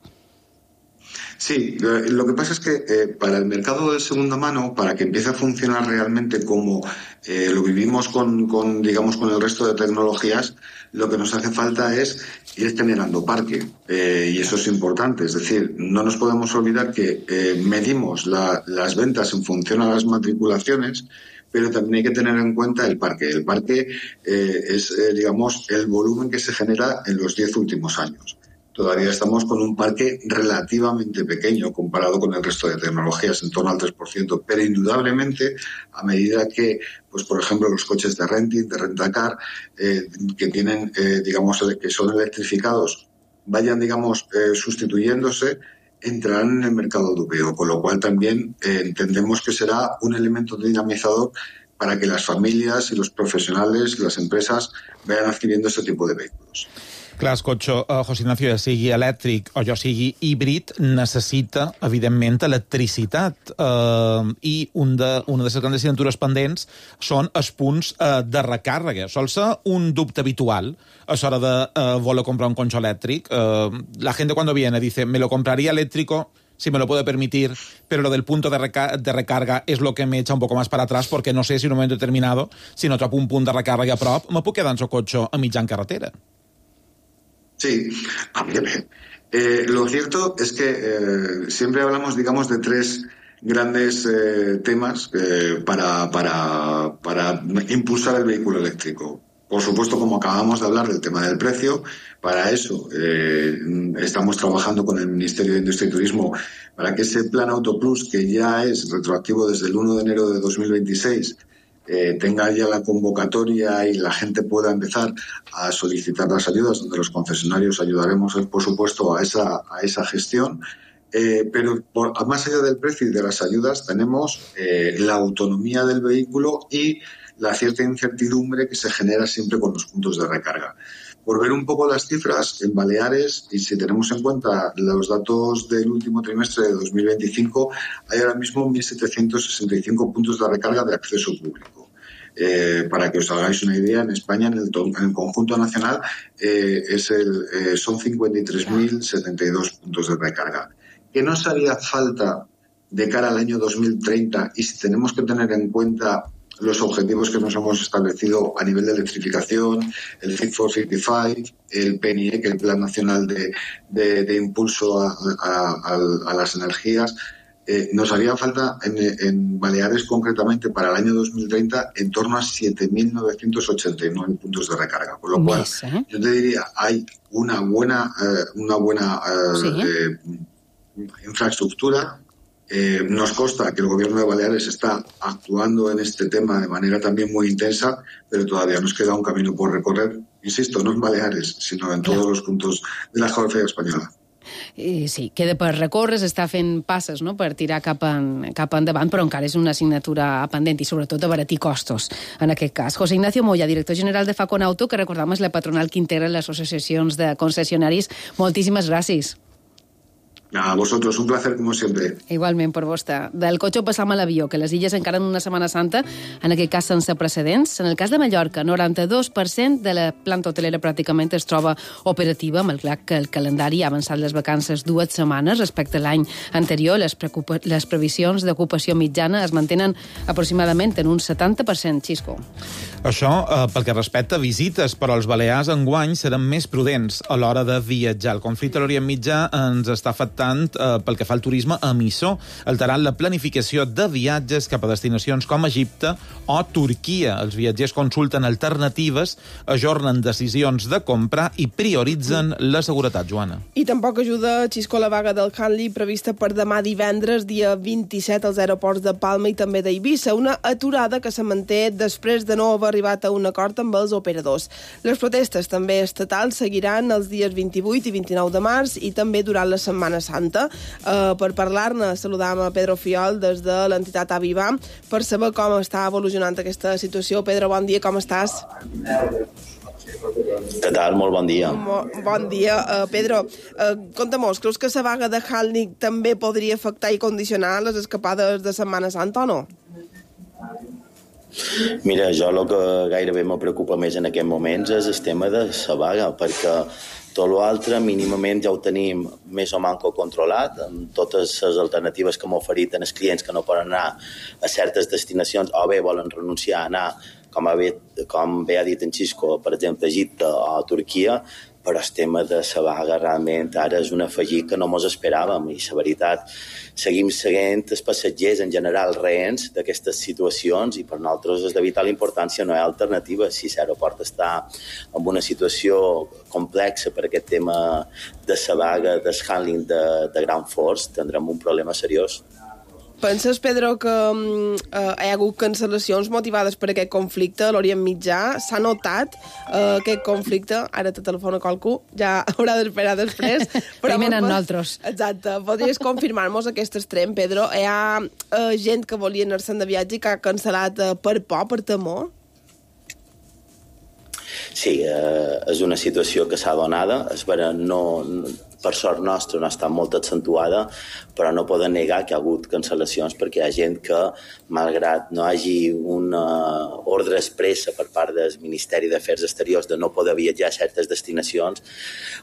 Speaker 13: Sí, lo que pasa es que para el mercado de segunda mano, para que empiece a funcionar realmente como lo vivimos con el resto de tecnologías, lo que nos hace falta es ir generando parque, y eso es importante. Es decir, no nos podemos olvidar que medimos las ventas en función a las matriculaciones, pero también hay que tener en cuenta el parque. El parque es, el volumen que se genera en los 10 últimos años. Todavía estamos con un parque relativamente pequeño comparado con el resto de tecnologías, en torno al 3%, pero indudablemente, a medida que, pues por ejemplo, los coches de renting, de rentacar, que tienen, que son electrificados, vayan, sustituyéndose, entrarán en el mercado europeo, con lo cual también entendemos que será un elemento dinamizador para que las familias y los profesionales, las empresas, vayan adquiriendo este tipo de vehículos.
Speaker 7: Clar, el cotxe, José Ignacio, ja sigui elèctric o ja sigui híbrid, necessita, evidentment, electricitat. I una de les grans assignatures pendents són els punts de recàrrega. Sol ser un dubte habitual a l'hora de voler comprar un cotxe elèctric. La gente cuando viene dice, me lo compraría eléctrico si me lo puedo permitir, pero lo del punto de recarga es lo que me echa un poco más para atrás, porque no sé si en un momento determinado, si no trobo un punt de recàrrega a prop, me puc quedar en el cotxe a mitjan carretera.
Speaker 13: Sí, lo cierto es que siempre hablamos, de tres grandes temas para impulsar el vehículo eléctrico. Por supuesto, como acabamos de hablar del tema del precio, para eso estamos trabajando con el Ministerio de Industria y Turismo para que ese Plan Auto Plus, que ya es retroactivo desde el 1 de enero de 2026, tenga ya la convocatoria y la gente pueda empezar a solicitar las ayudas, donde los concesionarios ayudaremos, por supuesto, a esa gestión. Pero más allá del precio y de las ayudas, tenemos la autonomía del vehículo y la cierta incertidumbre que se genera siempre con los puntos de recarga. Por ver un poco las cifras, en Baleares, y si tenemos en cuenta los datos del último trimestre de 2025, hay ahora mismo 1.765 puntos de recarga de acceso público. Para que os hagáis una idea, en España, en el conjunto nacional, son 53.072 puntos de recarga. ¿Qué nos haría falta de cara al año 2030? Y si tenemos que tener en cuenta los objetivos que nos hemos establecido a nivel de electrificación, el Fit for 55, el PNIE, que es el Plan Nacional de Impulso a las Energías, nos haría falta en Baleares, concretamente, para el año 2030, en torno a 7.989 puntos de recarga. Con lo cual, yo te diría, hay una buena infraestructura, Nos consta que el gobierno de Baleares está actuando en este tema de manera también muy intensa, pero todavía nos queda un camino por recorrer, insisto, no en Baleares, sino en todos los puntos de la geografía española.
Speaker 5: Sí, queda per recórrer, s'està fent passes, no?, per tirar cap endavant, però encara és una assignatura pendent i sobretot abaratir costos, en aquest cas. José Ignacio Moya, director general de Faconauto, que recordam és la patronal que integra les associacions de concessionaris. Moltíssimes gràcies.
Speaker 13: A vosotros, un placer como siempre.
Speaker 5: Igualment per vostè. Del cotxe passam a l'avió, que les illes encara en una Setmana Santa, en aquest cas sense precedents. En el cas de Mallorca, 92% de la planta hotelera pràcticament es troba operativa, malgrat que el calendari ha avançat les vacances 2 setmanes respecte a l'any anterior. Les previsions d'ocupació mitjana es mantenen aproximadament en un 70%, Xisco.
Speaker 7: Això pel que respecta a visites, però els balears enguany seran més prudents a l'hora de viatjar. El conflicte a l'Orient Mitjà ens està afectant pel que fa al turisme emissor, alterant la planificació de viatges cap a destinacions com Egipte o Turquia. Els viatgers consulten alternatives, ajornen decisions de comprar i prioritzen la seguretat, Joana.
Speaker 6: I tampoc ajuda, Xisco, la vaga del Handley prevista per demà divendres, dia 27, als aeroports de Palma i també d'Eivissa. Una aturada que se manté després de no haver arribat a un acord amb els operadors. Les protestes també estatals seguiran els dies 28 i 29 de març i també durant la Setmana Santa. Per parlar-ne, saludam a Pedro Fiol des de l'entitat Aviva per saber com està evolucionant aquesta situació. Pedro, bon dia, com estàs?
Speaker 14: Què tal? Molt bon dia.
Speaker 6: Bon dia. Pedro, conta'm-nos, creus que la vaga de Handley també podria afectar i condicionar les escapades de Setmana Santa o no?
Speaker 14: Mira, jo el que gairebé me preocupa més en aquests moments és el tema de la vaga, perquè tot l'altre mínimament ja ho tenim més o manco controlat, amb totes les alternatives que m'ha oferit els clients que no poden anar a certes destinacions o bé volen renunciar a anar, com bé ha dit en Xisco, per exemple, a Egipte o a Turquia, però el tema de la vaga realment ara és un afegit que no mos esperàvem i la veritat seguim seguint els passatgers en general reents d'aquestes situacions i per nosaltres és de vital importància, no hi ha alternativa. Si l'aeroport està en una situació complexa per aquest tema de la vaga, del handling de Ground Force, tindrem un problema seriós.
Speaker 6: Penses, Pedro, que hi ha hagut cancel·lacions motivades per aquest conflicte a l'Orient Mitjà? S'ha notat aquest conflicte? Ara te telefona qualcú, ja haurà d'esperar després.
Speaker 5: Primer en nosaltres.
Speaker 6: Exacte. Podries confirmar-nos aquest extrem, Pedro? Hi ha gent que volia anar-se'n de viatge i que ha cancel·lat per por, per temor?
Speaker 14: Sí, és una situació que s'ha donada. És vera, per sort nostra no ha estat molt accentuada, però no poden negar que hi ha hagut cancel·lacions perquè hi ha gent que, malgrat no hi hagi una ordre expressa per part del Ministeri d'Afers Exteriors de no poder viatjar a certes destinacions,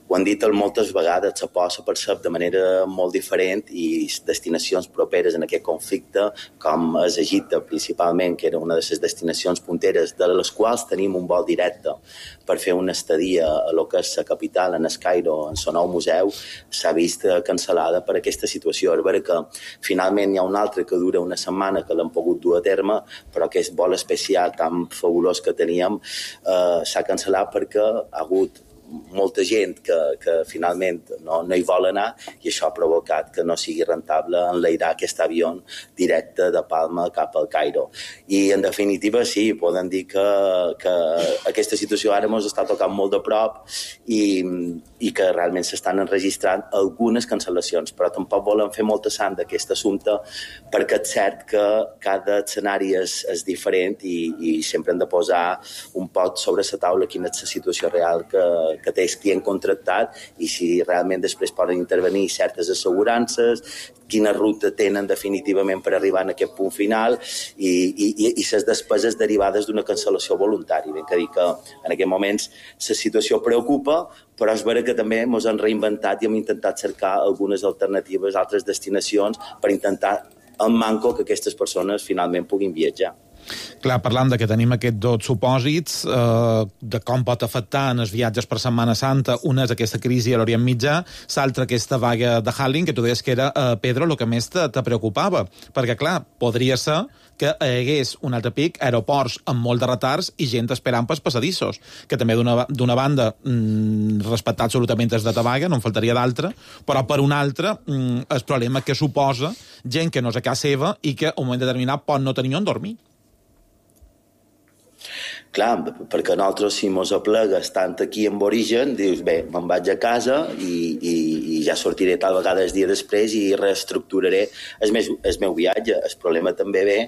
Speaker 14: ho han dit moltes vegades, se posa per cert de manera molt diferent i destinacions properes en aquest conflicte, com és Egipte principalment, que era una de les destinacions punteres, de les quals tenim un vol directe per fer una estadia a lo que és la capital, en el Cairo, en el nou museu, s'ha vist cancel·lada per aquesta situació. És vera que finalment hi ha un altre que dura una setmana que l'han pogut dur a terme, però aquest vol especial tan fabulós que teníem s'ha cancel·lat perquè ha hagut molta gent que finalment no hi vol anar i això ha provocat que no sigui rentable enlairar aquest avió directe de Palma cap al Cairo. I en definitiva sí, podem dir que aquesta situació ara ens està tocant molt de prop i que realment s'estan enregistrant algunes cancel·lacions, però tampoc volen fer molta sang d'aquest assumpte perquè és cert que cada escenari és diferent i sempre hem de posar un pot sobre la taula quina és la situació real que té el client contractat i si realment després poden intervenir certes assegurances, quina ruta tenen definitivament per arribar en aquest punt final i les despeses derivades d'una cancel·lació voluntària. Ben que dir que en aquests moments la situació preocupa, però és vera que també ens hem reinventat i hem intentat cercar algunes alternatives, altres destinacions per intentar en manco que aquestes persones finalment puguin viatjar.
Speaker 7: Clar, parlant de que tenim aquests dos supòsits, de com pot afectar en els viatges per Setmana Santa, una és aquesta crisi a l'Orient Mitjà, l'altra aquesta vaga de handling, que tu deies que era, Pedro, el que més te preocupava. Perquè, clar, podria ser que hi hagués un altre pic, aeroports amb molt de retards i gent esperant pels passadissos, que també d'una banda respectar absolutament els de vaga, no en faltaria d'altra, però per una altra el problema que suposa gent que no és a casa seva i que a un moment determinat pot no tenir on dormir.
Speaker 14: Clar, perquè nosaltres, si mos aplega estant aquí en origen, dius, bé, me'n vaig a casa i ja sortiré tal vegada el dia després i reestructuraré el meu viatge. El problema també ve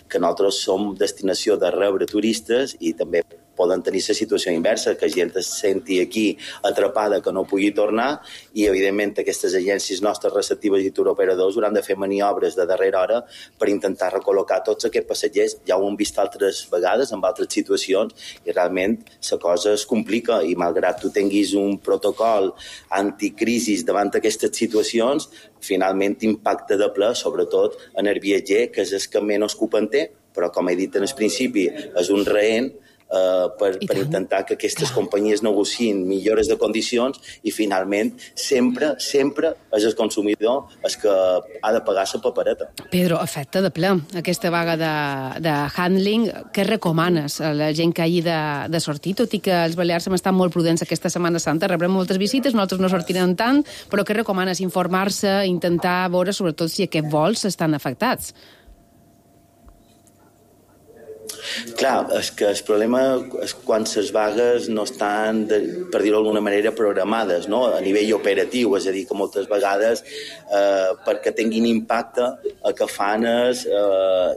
Speaker 14: que nosaltres som destinació de rebre turistes i també poden tenir la situació inversa, que gent es senti aquí atrapada, que no pugui tornar, i evidentment aquestes agències nostres receptives i turoperadors hauran de fer maniobres de darrera hora per intentar recol·locar tots aquests passatgers. Ja ho hem vist altres vegades, en altres situacions, i realment la cosa es complica, i malgrat tu tinguis un protocol anticrisis davant d'aquestes situacions, finalment impacta de ple, sobretot en el viatger, que és el que menys culpa en té, però com he dit en el principi, és un rehent per intentar que aquestes companyies negociïn millores de condicions i finalment sempre és el consumidor el que ha de pagar la papereta.
Speaker 5: Pedro, afecta de ple aquesta vaga de handling. Què recomanes a la gent que hagi de sortir? Tot i que els balears hem estat molt prudents aquesta Setmana Santa, rebrem moltes visites, nosaltres no sortirem tant, però què recomanes? Informar-se, intentar veure sobretot si aquests vols estan afectats.
Speaker 14: Clar, és que el problema és quan les vagues no estan, per dir-ho d'alguna manera, programades, no? A nivell operatiu, és a dir, que moltes vegades perquè tinguin impacte el que fan és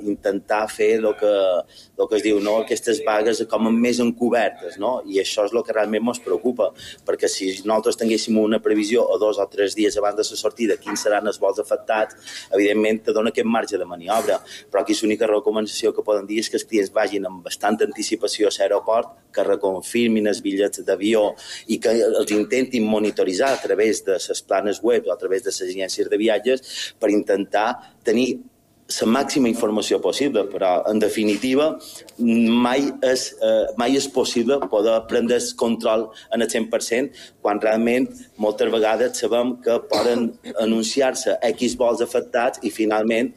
Speaker 14: intentar fer el que es diu, no? Aquestes vagues com més encobertes, no? I això és el que realment ens preocupa, perquè si nosaltres tinguéssim una previsió o 2 o 3 dies abans de la sortida quins seran els vols afectats, evidentment te dona aquest marge de maniobra, però aquí l'única recomanació que poden dir és que els clients vagin amb bastanta anticipació a l'aeroport, que reconfirmin els bitllets d'avió i que els intentin monitoritzar a través de les planes web o a través de les agències de viatges per intentar tenir la màxima informació possible, però en definitiva mai és possible poder prendre el control en el 100% quan realment moltes vegades sabem que poden anunciar-se X vols afectats i finalment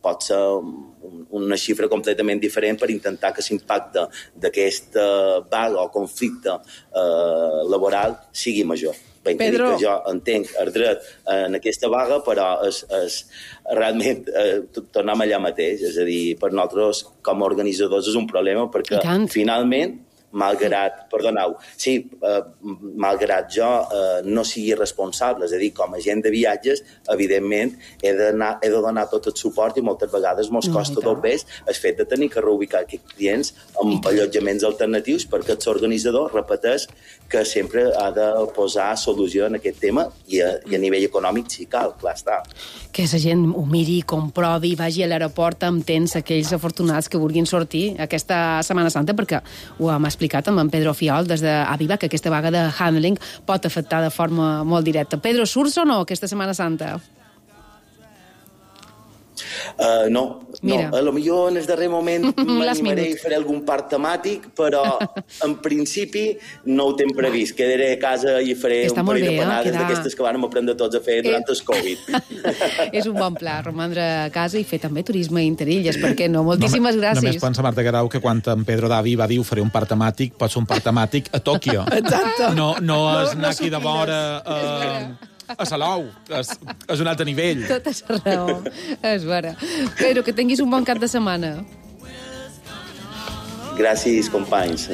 Speaker 14: pot ser una xifra completament diferent per intentar que l'impacte d'aquesta vaga o conflicte laboral sigui major. Ben, Pedro, que jo entenc el dret en aquesta vaga, però és realment tornem allà mateix. És a dir, per nosaltres, com a organitzadors, és un problema perquè finalment malgrat jo no sigui responsable, és a dir, com a agent de viatges, evidentment he de donar tot el suport i moltes vegades ens costa dobbers el fet de tenir que reubicar aquests clients amb allotjaments alternatius perquè l'organitzador repeteix que sempre ha de posar solució en aquest tema i a nivell econòmic si cal, clar està.
Speaker 5: Que la gent ho miri, comprovi, vagi a l'aeroport amb temps aquells afortunats que vulguin sortir aquesta Setmana Santa, perquè ho hem explicat amb en Pedro Fiol des d'Aviva, que aquesta vaga de handling pot afectar de forma molt directa. Pedro, surts o no aquesta Setmana Santa?
Speaker 14: No. A lo millor en el darrer moment m'animaré i faré algun parc temàtic, però en principi no ho tinc previst. Quedaré a casa i faré un parell de panades d'aquestes que vam aprendre tots a fer durant el Covid.
Speaker 5: És un bon pla, romandre a casa i fer també turisme a Interilles, per què no? Moltíssimes gràcies.
Speaker 7: Només pensa Marta Guerau que quan en Pedro Davi va dir faré un parc temàtic, pot ser un parc temàtic a Tòquio.
Speaker 6: Exacte.
Speaker 7: No és anar aquí de vora a Salou. És un altre nivell.
Speaker 5: Tota la raó. És vera. Pedro, que tinguis un bon cap de setmana.
Speaker 14: Gràcies, companys.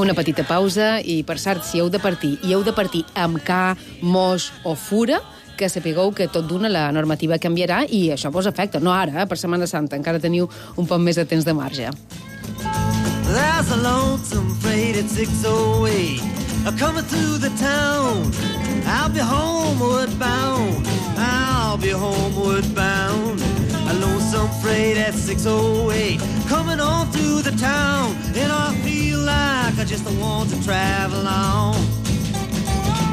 Speaker 5: Una petita pausa i, per cert, si heu de partir amb ca, mos o fura, que sapigueu que tot d'una la normativa canviarà i això vos afecta. No ara, per Setmana Santa. Encara teniu un poc més de temps de marge.
Speaker 15: There's a lonesome freight at 608 coming through the town. I'll be homeward bound. I'll be homeward bound. A lonesome freight at 608 coming on through the town. And I feel like I just want to travel on.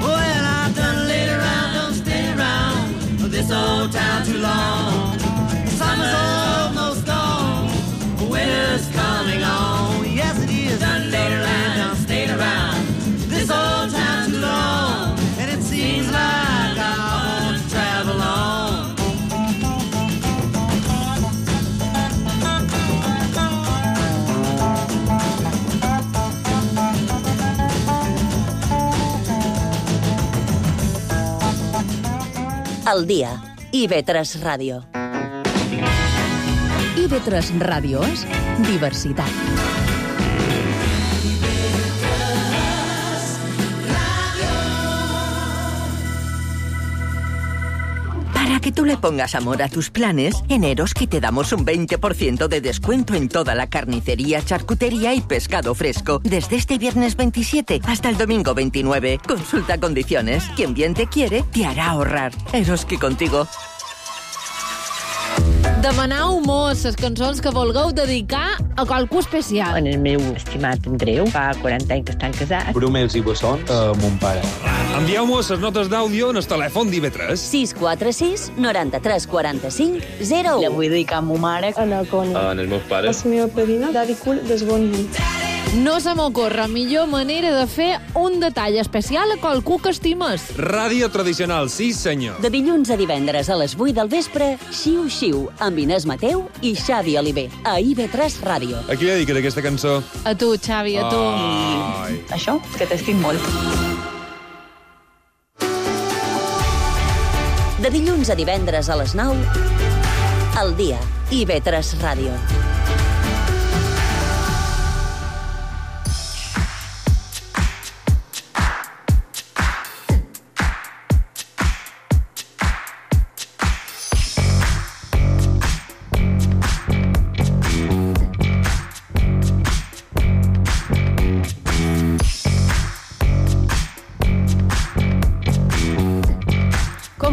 Speaker 15: Well, I've done laid around, don't stay around this old town too long. Summer's almost gone.
Speaker 4: El dia. IB3 Ràdio.
Speaker 2: IB3 Ràdio és diversitat.
Speaker 16: Para que tú le pongas amor a tus planes, en Eroski te damos un 20% de descuento en toda la carnicería, charcutería y pescado fresco. Desde este viernes 27 hasta el domingo 29. Consulta condiciones. Quien bien te quiere, te hará ahorrar. Eroski contigo.
Speaker 17: Demanau mos les cançons que vulgueu dedicar a qualcú especial.
Speaker 18: En el meu estimat Andreu, fa 40 anys que estan casats.
Speaker 19: Brumels i bessons a mon pare.
Speaker 20: Envieu-mos les notes d'àudio en el telèfon d'IV3.
Speaker 4: 646 93 45 01.
Speaker 18: La vull dedicar a ma mare.
Speaker 19: En els meus pares.
Speaker 21: La meva padrina, Dari Cul, des bon nit.
Speaker 17: No se m'ocorre millor manera de fer un detall especial a qualcú que estimes.
Speaker 20: Ràdio tradicional, sí senyor.
Speaker 4: De dilluns a divendres a les 8 del vespre, Xiu Xiu, amb Inés Mateu i Xavi Oliver, a IB3 Ràdio.
Speaker 20: A qui li dediques aquesta cançó?
Speaker 17: A tu, Xavi, a tu.
Speaker 20: Ai.
Speaker 18: Això, que t'estim molt.
Speaker 4: De dilluns a divendres a les 9, El dia, IB3 Ràdio.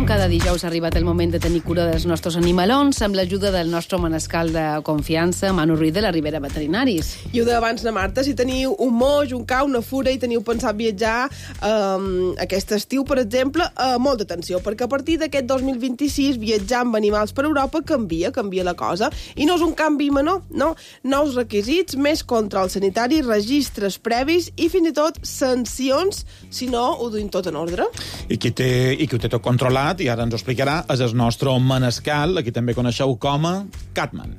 Speaker 5: Cada dijous ha arribat el moment de tenir cura dels nostres animalons amb l'ajuda del nostre manescal de confiança, Manu Ruiz, de la Ribera Veterinaris.
Speaker 6: I ho deia abans, na Marta, si teniu un moix, un cau, una fura i teniu pensat viatjar aquest estiu, per exemple, molta atenció, perquè a partir d'aquest 2026 viatjar amb animals per Europa canvia la cosa. I no és un canvi menor, no. Nous requisits, més control sanitari, registres previs i fins i tot sancions si no ho duim tot en ordre.
Speaker 7: I qui ho té tot controlat, i ara ens ho explicarà, és el nostre manescal, aquí també coneixeu com a Catman.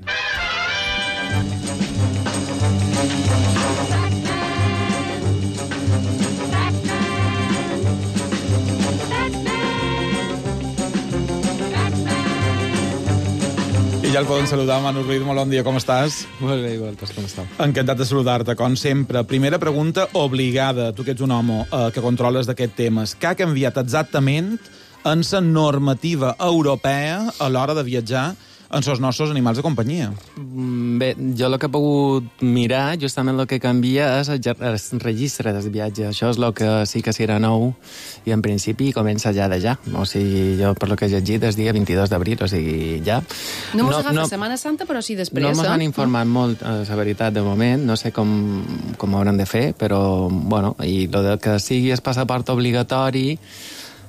Speaker 7: I ja el poden saludar, Manu Ruiz, molt bon dia, com estàs?
Speaker 19: Molt bé, igualtes, com estàu?
Speaker 7: Encantat de saludar-te, com sempre. Primera pregunta obligada, tu que ets un home que controles d'aquest temes. Què ha canviat exactament en la normativa europea a l'hora de viatjar en els nostres animals de companyia?
Speaker 19: Bé, jo el que he pogut mirar, justament el que canvia és el registre del viatge. Això és el que sí que serà nou i en principi comença ja de ja. O sigui, jo per lo que he llegit és dia 22 d'abril, o sigui, ja.
Speaker 5: No mos agafa Setmana Santa, però sí després.
Speaker 19: No mos han informat molt, la veritat, de moment. No sé com ho hauran de fer, però, bueno, i el que sigui el passaport obligatori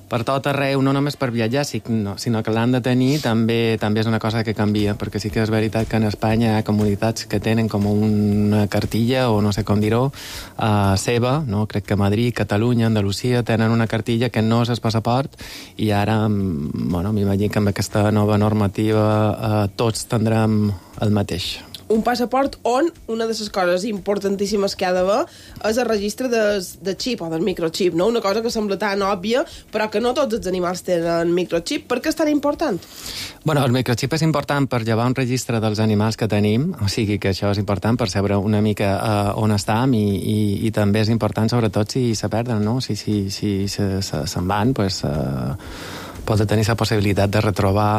Speaker 19: per tot arreu, no només per viatjar, sinó que l'han de tenir, també és una cosa que canvia, perquè sí que és veritat que en Espanya hi ha comunitats que tenen com una cartilla, o no sé com dir-ho, seva, no? Crec que Madrid, Catalunya, Andalusia tenen una cartilla que no és el passaport, i ara, bueno, m'imagino que amb aquesta nova normativa tots tindrem el mateix.
Speaker 6: Un passaport on una de les coses importantíssimes que ha d'haver és el registre de xip o del microxip, no? Una cosa que sembla tan òbvia, però que no tots els animals tenen microxip. Per què és tan important?
Speaker 19: Bueno, el microxip és important per llevar un registre dels animals que tenim, o sigui que això és important per saber una mica on estem, i també és important sobretot si se perden, no? Si se'n van, pues, pot tenir la possibilitat de retrobar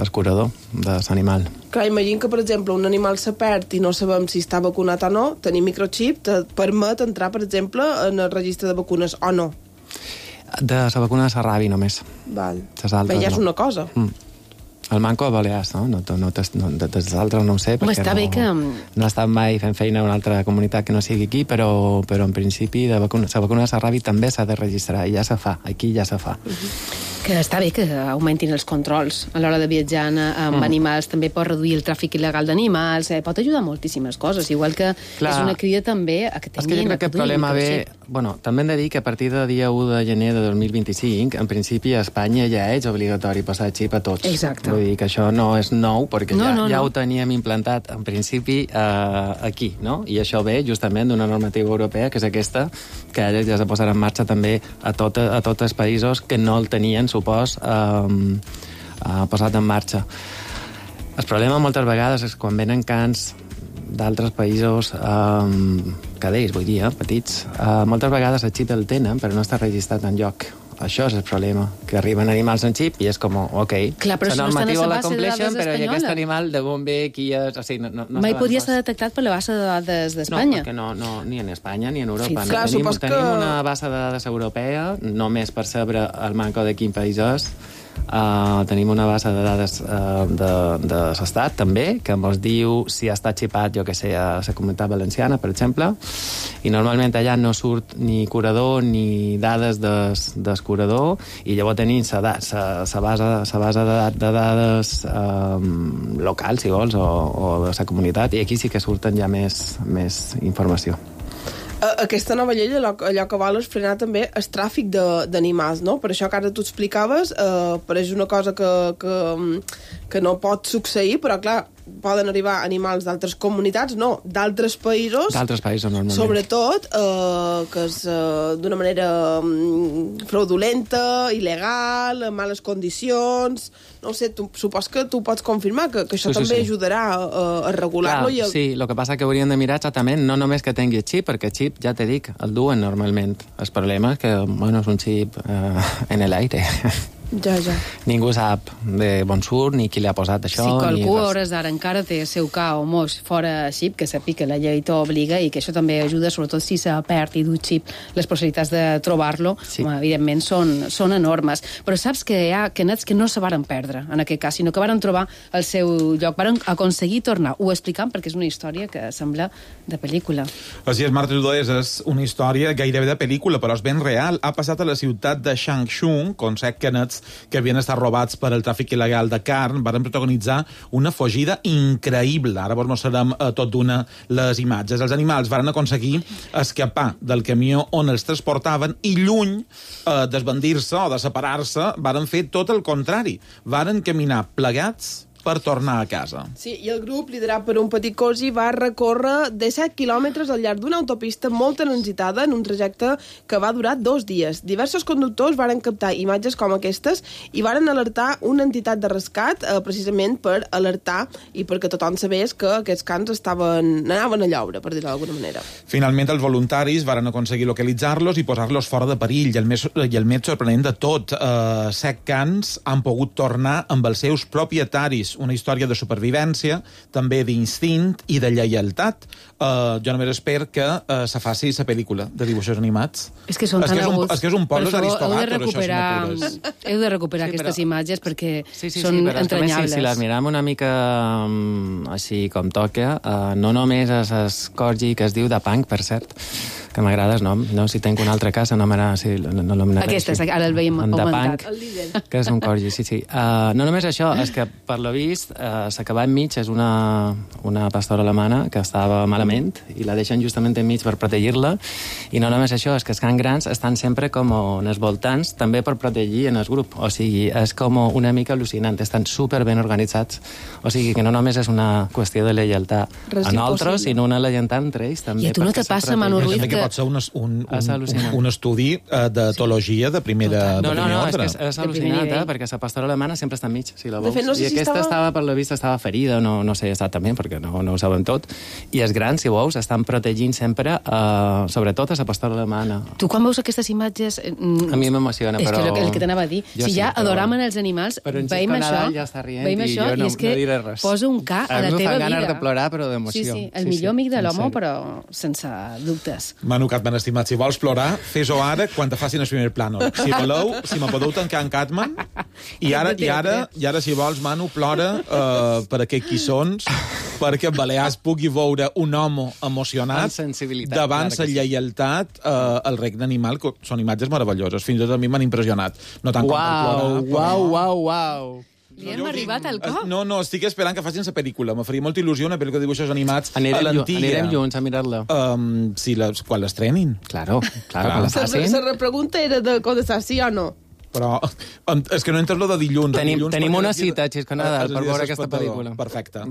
Speaker 19: el curador de l'animal.
Speaker 6: Clar, imagina que, per exemple, un animal se perd i no sabem si està vacunat o no, tenir microxip te permet entrar, per exemple, en el registre de vacunes o no.
Speaker 19: De la vacuna de la ràbia, només.
Speaker 6: Val.
Speaker 19: Bé,
Speaker 6: ja és una cosa.
Speaker 19: El manco a Balears, no? Dels altres no ho sé, perquè no he estat mai fent feina a una altra comunitat que no sigui aquí, però en principi la vacuna de la ràbia també s'ha de registrar, i ja se fa, aquí ja se fa.
Speaker 5: Que està bé que augmentin els controls a l'hora de viatjar amb animals, també pot reduir el tràfic il·legal d'animals, pot ajudar moltíssimes coses, igual que és una crida també a que tinguin...
Speaker 19: És que jo crec que el problema ve... Bueno, també hem de dir que a partir del dia 1 de gener de 2025, en principi a Espanya ja és obligatori passar el xip a tots.
Speaker 5: Exacte.
Speaker 19: Vull dir que això no és nou, perquè ja ho teníem implantat en principi aquí, no? I això ve justament d'una normativa europea, que és aquesta, que ara ja se posarà en marxa també a tots els països que no el tenien pressupost posat en marxa. El problema moltes vegades és quan venen cans d'altres països cadells, vull dir, petits. Moltes vegades el xip el tenen, però no està registrat enlloc. Això és el problema, que arriben animals en xip i és com, ok,
Speaker 5: clar, però
Speaker 19: la
Speaker 5: si
Speaker 19: normativa
Speaker 5: no
Speaker 19: la
Speaker 5: base de
Speaker 19: compleixen,
Speaker 5: dades
Speaker 19: però
Speaker 5: espanyola.
Speaker 19: aquest animal de on ve, qui és... O sigui, no
Speaker 5: mai podria ser detectat per la base de dades d'Espanya.
Speaker 19: No, perquè no, ni en Espanya ni en Europa.
Speaker 5: Sí,
Speaker 6: clar,
Speaker 19: tenim
Speaker 6: que...
Speaker 19: una base de dades europea, només per saber el manco de quin país és. Tenim una base de dades de l'Estat, també, que ens diu si ha estat xipat, jo que sé, a la Comunitat Valenciana, per exemple, i normalment allà no surt ni curador ni dades del curador, i llavors tenim la base de dades local, si vols, o de la comunitat, i aquí sí que surten ja més informació.
Speaker 6: Aquesta nova llei allò que vol és frenar també el tràfic d'animals, no? Per això que ara tu explicaves, pareix una cosa que no pot succeir, però clar, poden arribar animals d'altres comunitats, no, d'altres països.
Speaker 19: D'altres països, normalment.
Speaker 6: Sobretot, que és d'una manera fraudulenta, il·legal, en males condicions... No ho sé, supos que tu pots confirmar que això també ajudarà a regular-lo.
Speaker 19: Clar, sí, el que passa que hauríem de mirar exactament no només que tingui el xip, perquè el xip, ja t'he dit, el duen normalment. El problema és que, bueno, és un xip en l'aire.
Speaker 6: Ja.
Speaker 19: Ningú sap de on surt ni qui li ha posat això.
Speaker 5: Si qualcú a hores d'ara encara té el seu ca o mos fora xip, que sàpiga que la llei t'obliga i que això també ajuda, sobretot si s'ha perd i du xip, les possibilitats de trobar-lo, evidentment, són enormes. Però saps que hi ha nets que no se varen perdre, en aquest cas, sinó que varen trobar el seu lloc, varen aconseguir tornar. Ho explicam perquè és una història que sembla de pel·lícula.
Speaker 7: Així és, Marta Tudors, és una història gairebé de pel·lícula, però és ben real. Ha passat a la ciutat de Changshu, on 7 nets que havien estat robats per el tràfic il·legal de carn van protagonitzar una fugida increïble. Ara vos mostrarem tot d'una les imatges. Els animals van aconseguir escapar del camió on els transportaven i lluny d'esbandir-se o de separar-se, van fer tot el contrari. Van caminar plegats per tornar a casa.
Speaker 6: Sí, i el grup, liderat per un petit cosi, va recórrer 17 quilòmetres al llarg d'una autopista molt transitada en un trajecte que va durar 2 dies. Diversos conductors varen captar imatges com aquestes i varen alertar una entitat de rescat precisament per alertar i perquè tothom sabés que aquests cans anaven a lloure, per dir-ho d'alguna manera.
Speaker 7: Finalment, els voluntaris varen aconseguir localitzar-los i posar-los fora de perill. I el més sorprenent de tot, 7 cans han pogut tornar amb els seus propietaris. Una història de supervivència, també d'instint i de lleialtat. Jo només espero que se faci la pel·lícula de dibuixos animats.
Speaker 5: És que són tan aguts.
Speaker 7: És que és un poble d'Aristogator,
Speaker 5: heu de recuperar aquestes imatges perquè són entranyables.
Speaker 19: Si les miram una mica així com toca, no només és el corgi que es diu de Punk, per cert, que m'agrada el nom. No, si tinc una altra casa, no l'anomenaré.
Speaker 5: Aquesta, ara el veiem augmentat.
Speaker 19: Que és un corgi, sí. No només això, és que per lo vist s'acaba enmig, és una pastora alemana que estava malament i la deixen justament enmig per protegir-la, i no només això, és que els cans grans estan sempre com en els voltants, també per protegir en el grup. O sigui, és com una mica al·lucinant, estan super ben organitzats. O sigui, que no només és una qüestió de lleialtat a nosaltres, sinó una lleialtat entre ells també.
Speaker 5: I a tu no te passa, Manu Ruiz, que
Speaker 7: pot ser un estudi d'etologia de primera ordre.
Speaker 19: No, és al·lucinant, perquè la pastora alemana sempre està enmig, si la veus. I aquesta estava, per la vista, estava ferida, no sé exactament, perquè no ho saben tot. I els grans, si veus, estan protegint sempre, sobretot a la pastora alemana.
Speaker 5: Tu quan veus aquestes imatges...
Speaker 19: A mi m'emociona, però...
Speaker 5: És que el que t'anava a dir. Si ja adoramen els animals, veiem això, i és que posa un ca a la teva vida.
Speaker 19: A mi em fan ganes de plorar, però d'emoció.
Speaker 5: Sí, el millor amic de l'home, però sense dubtes.
Speaker 7: Manu Catman, estimat, si vols plorar, fes-ho ara quan te facin el primer plànol. Si voleu, si me podeu tancar en Catman, i ara, si vols, Manu, plora per aquests quissons, perquè Balears pugui veure un home emocionat davant la lleialtat al regne animal, que són imatges meravelloses. Fins i tot a mi m'han impressionat. No tant com per plorar.
Speaker 19: Uau.
Speaker 5: Li hem arribat al cop?
Speaker 7: No, estic esperant que facin la pel·lícula. Me faria molta il·lusió una pel·lícula de dibuixos animats a l'antiga.
Speaker 19: Anirem junts a mirar-la.
Speaker 7: Quan l'estrenin.
Speaker 19: Claro, quan la facin.
Speaker 6: La pregunta era de contestar sí o no.
Speaker 7: Però és que no entres lo de dilluns.
Speaker 19: Tenim una cita, Xisconada, per veure aquesta pel·lícula.
Speaker 7: Perfecte.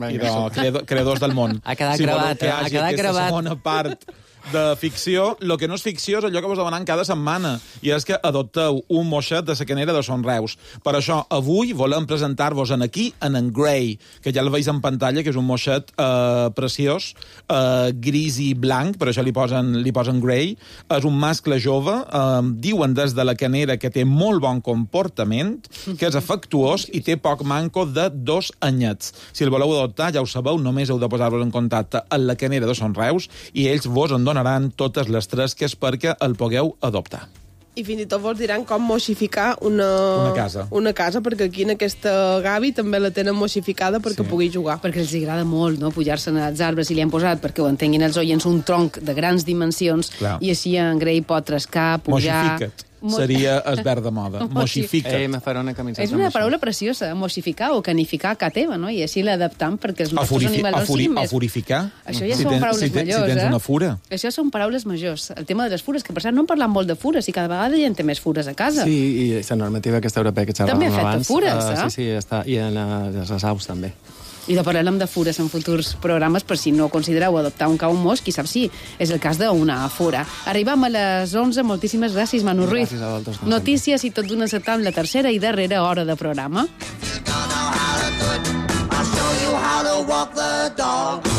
Speaker 7: Creadors del món.
Speaker 19: Ha quedat gravat.
Speaker 7: Si voleu que hi hagi aquesta segona part de ficció. El que no és ficció és allò que vos demanem cada setmana, i és que adopteu un moixet de la canera de Son Reus. Per això, avui volem presentar-vos aquí en Grey, que ja el veus en pantalla, que és un moixet preciós, gris i blanc, per això li posen Grey. És un mascle jove, diuen des de la canera que té molt bon comportament, que és afectuós i té poc manco de 2 anyets. Si el voleu adoptar, ja ho sabeu, només heu de posar-vos en contacte amb la canera de Son Reus i ells vos en donaran totes les tresques perquè el pugueu adoptar.
Speaker 6: I fins i tot vos diran com moixificar
Speaker 7: una casa.
Speaker 6: Una casa, perquè aquí en aquesta Gavi també la tenen moixificada perquè pugui jugar.
Speaker 5: Perquè els agrada molt, no?, pujar-se als arbres, i li han posat, perquè ho entenguin els oients, un tronc de grans dimensions, i així en Grey pot trescar, pujar...
Speaker 7: Moixifica't. Seria el verb de moda. Moixifica't.
Speaker 19: Me farà una camiseta.
Speaker 5: És una paraula preciosa, moixificar o canificar a ca teva, no? I així l'adaptam perquè els nostres animals no siguin més...
Speaker 7: Afurificar.
Speaker 5: Això ja són paraules majors,
Speaker 7: Si tens una fura.
Speaker 5: Això són paraules majors. El tema de les fures, que per cert no en parlam molt de fures, i cada vegada hi ha més fures a casa.
Speaker 19: Sí, i la normativa aquesta europea que xerràvem abans...
Speaker 5: També afecta fures, eh?
Speaker 19: Sí, està. I en les aus també.
Speaker 5: I de parlarem de fures en futurs programes, per si no considereu adoptar un cau mos, qui sap si és el cas d'una fura. Arribam a les 11, moltíssimes gràcies, Manu Ruiz.
Speaker 19: Gràcies a vosaltres.
Speaker 5: Notícies i tot d'una encetant la tercera i darrera hora de programa.
Speaker 15: I'll show you how to walk the dog.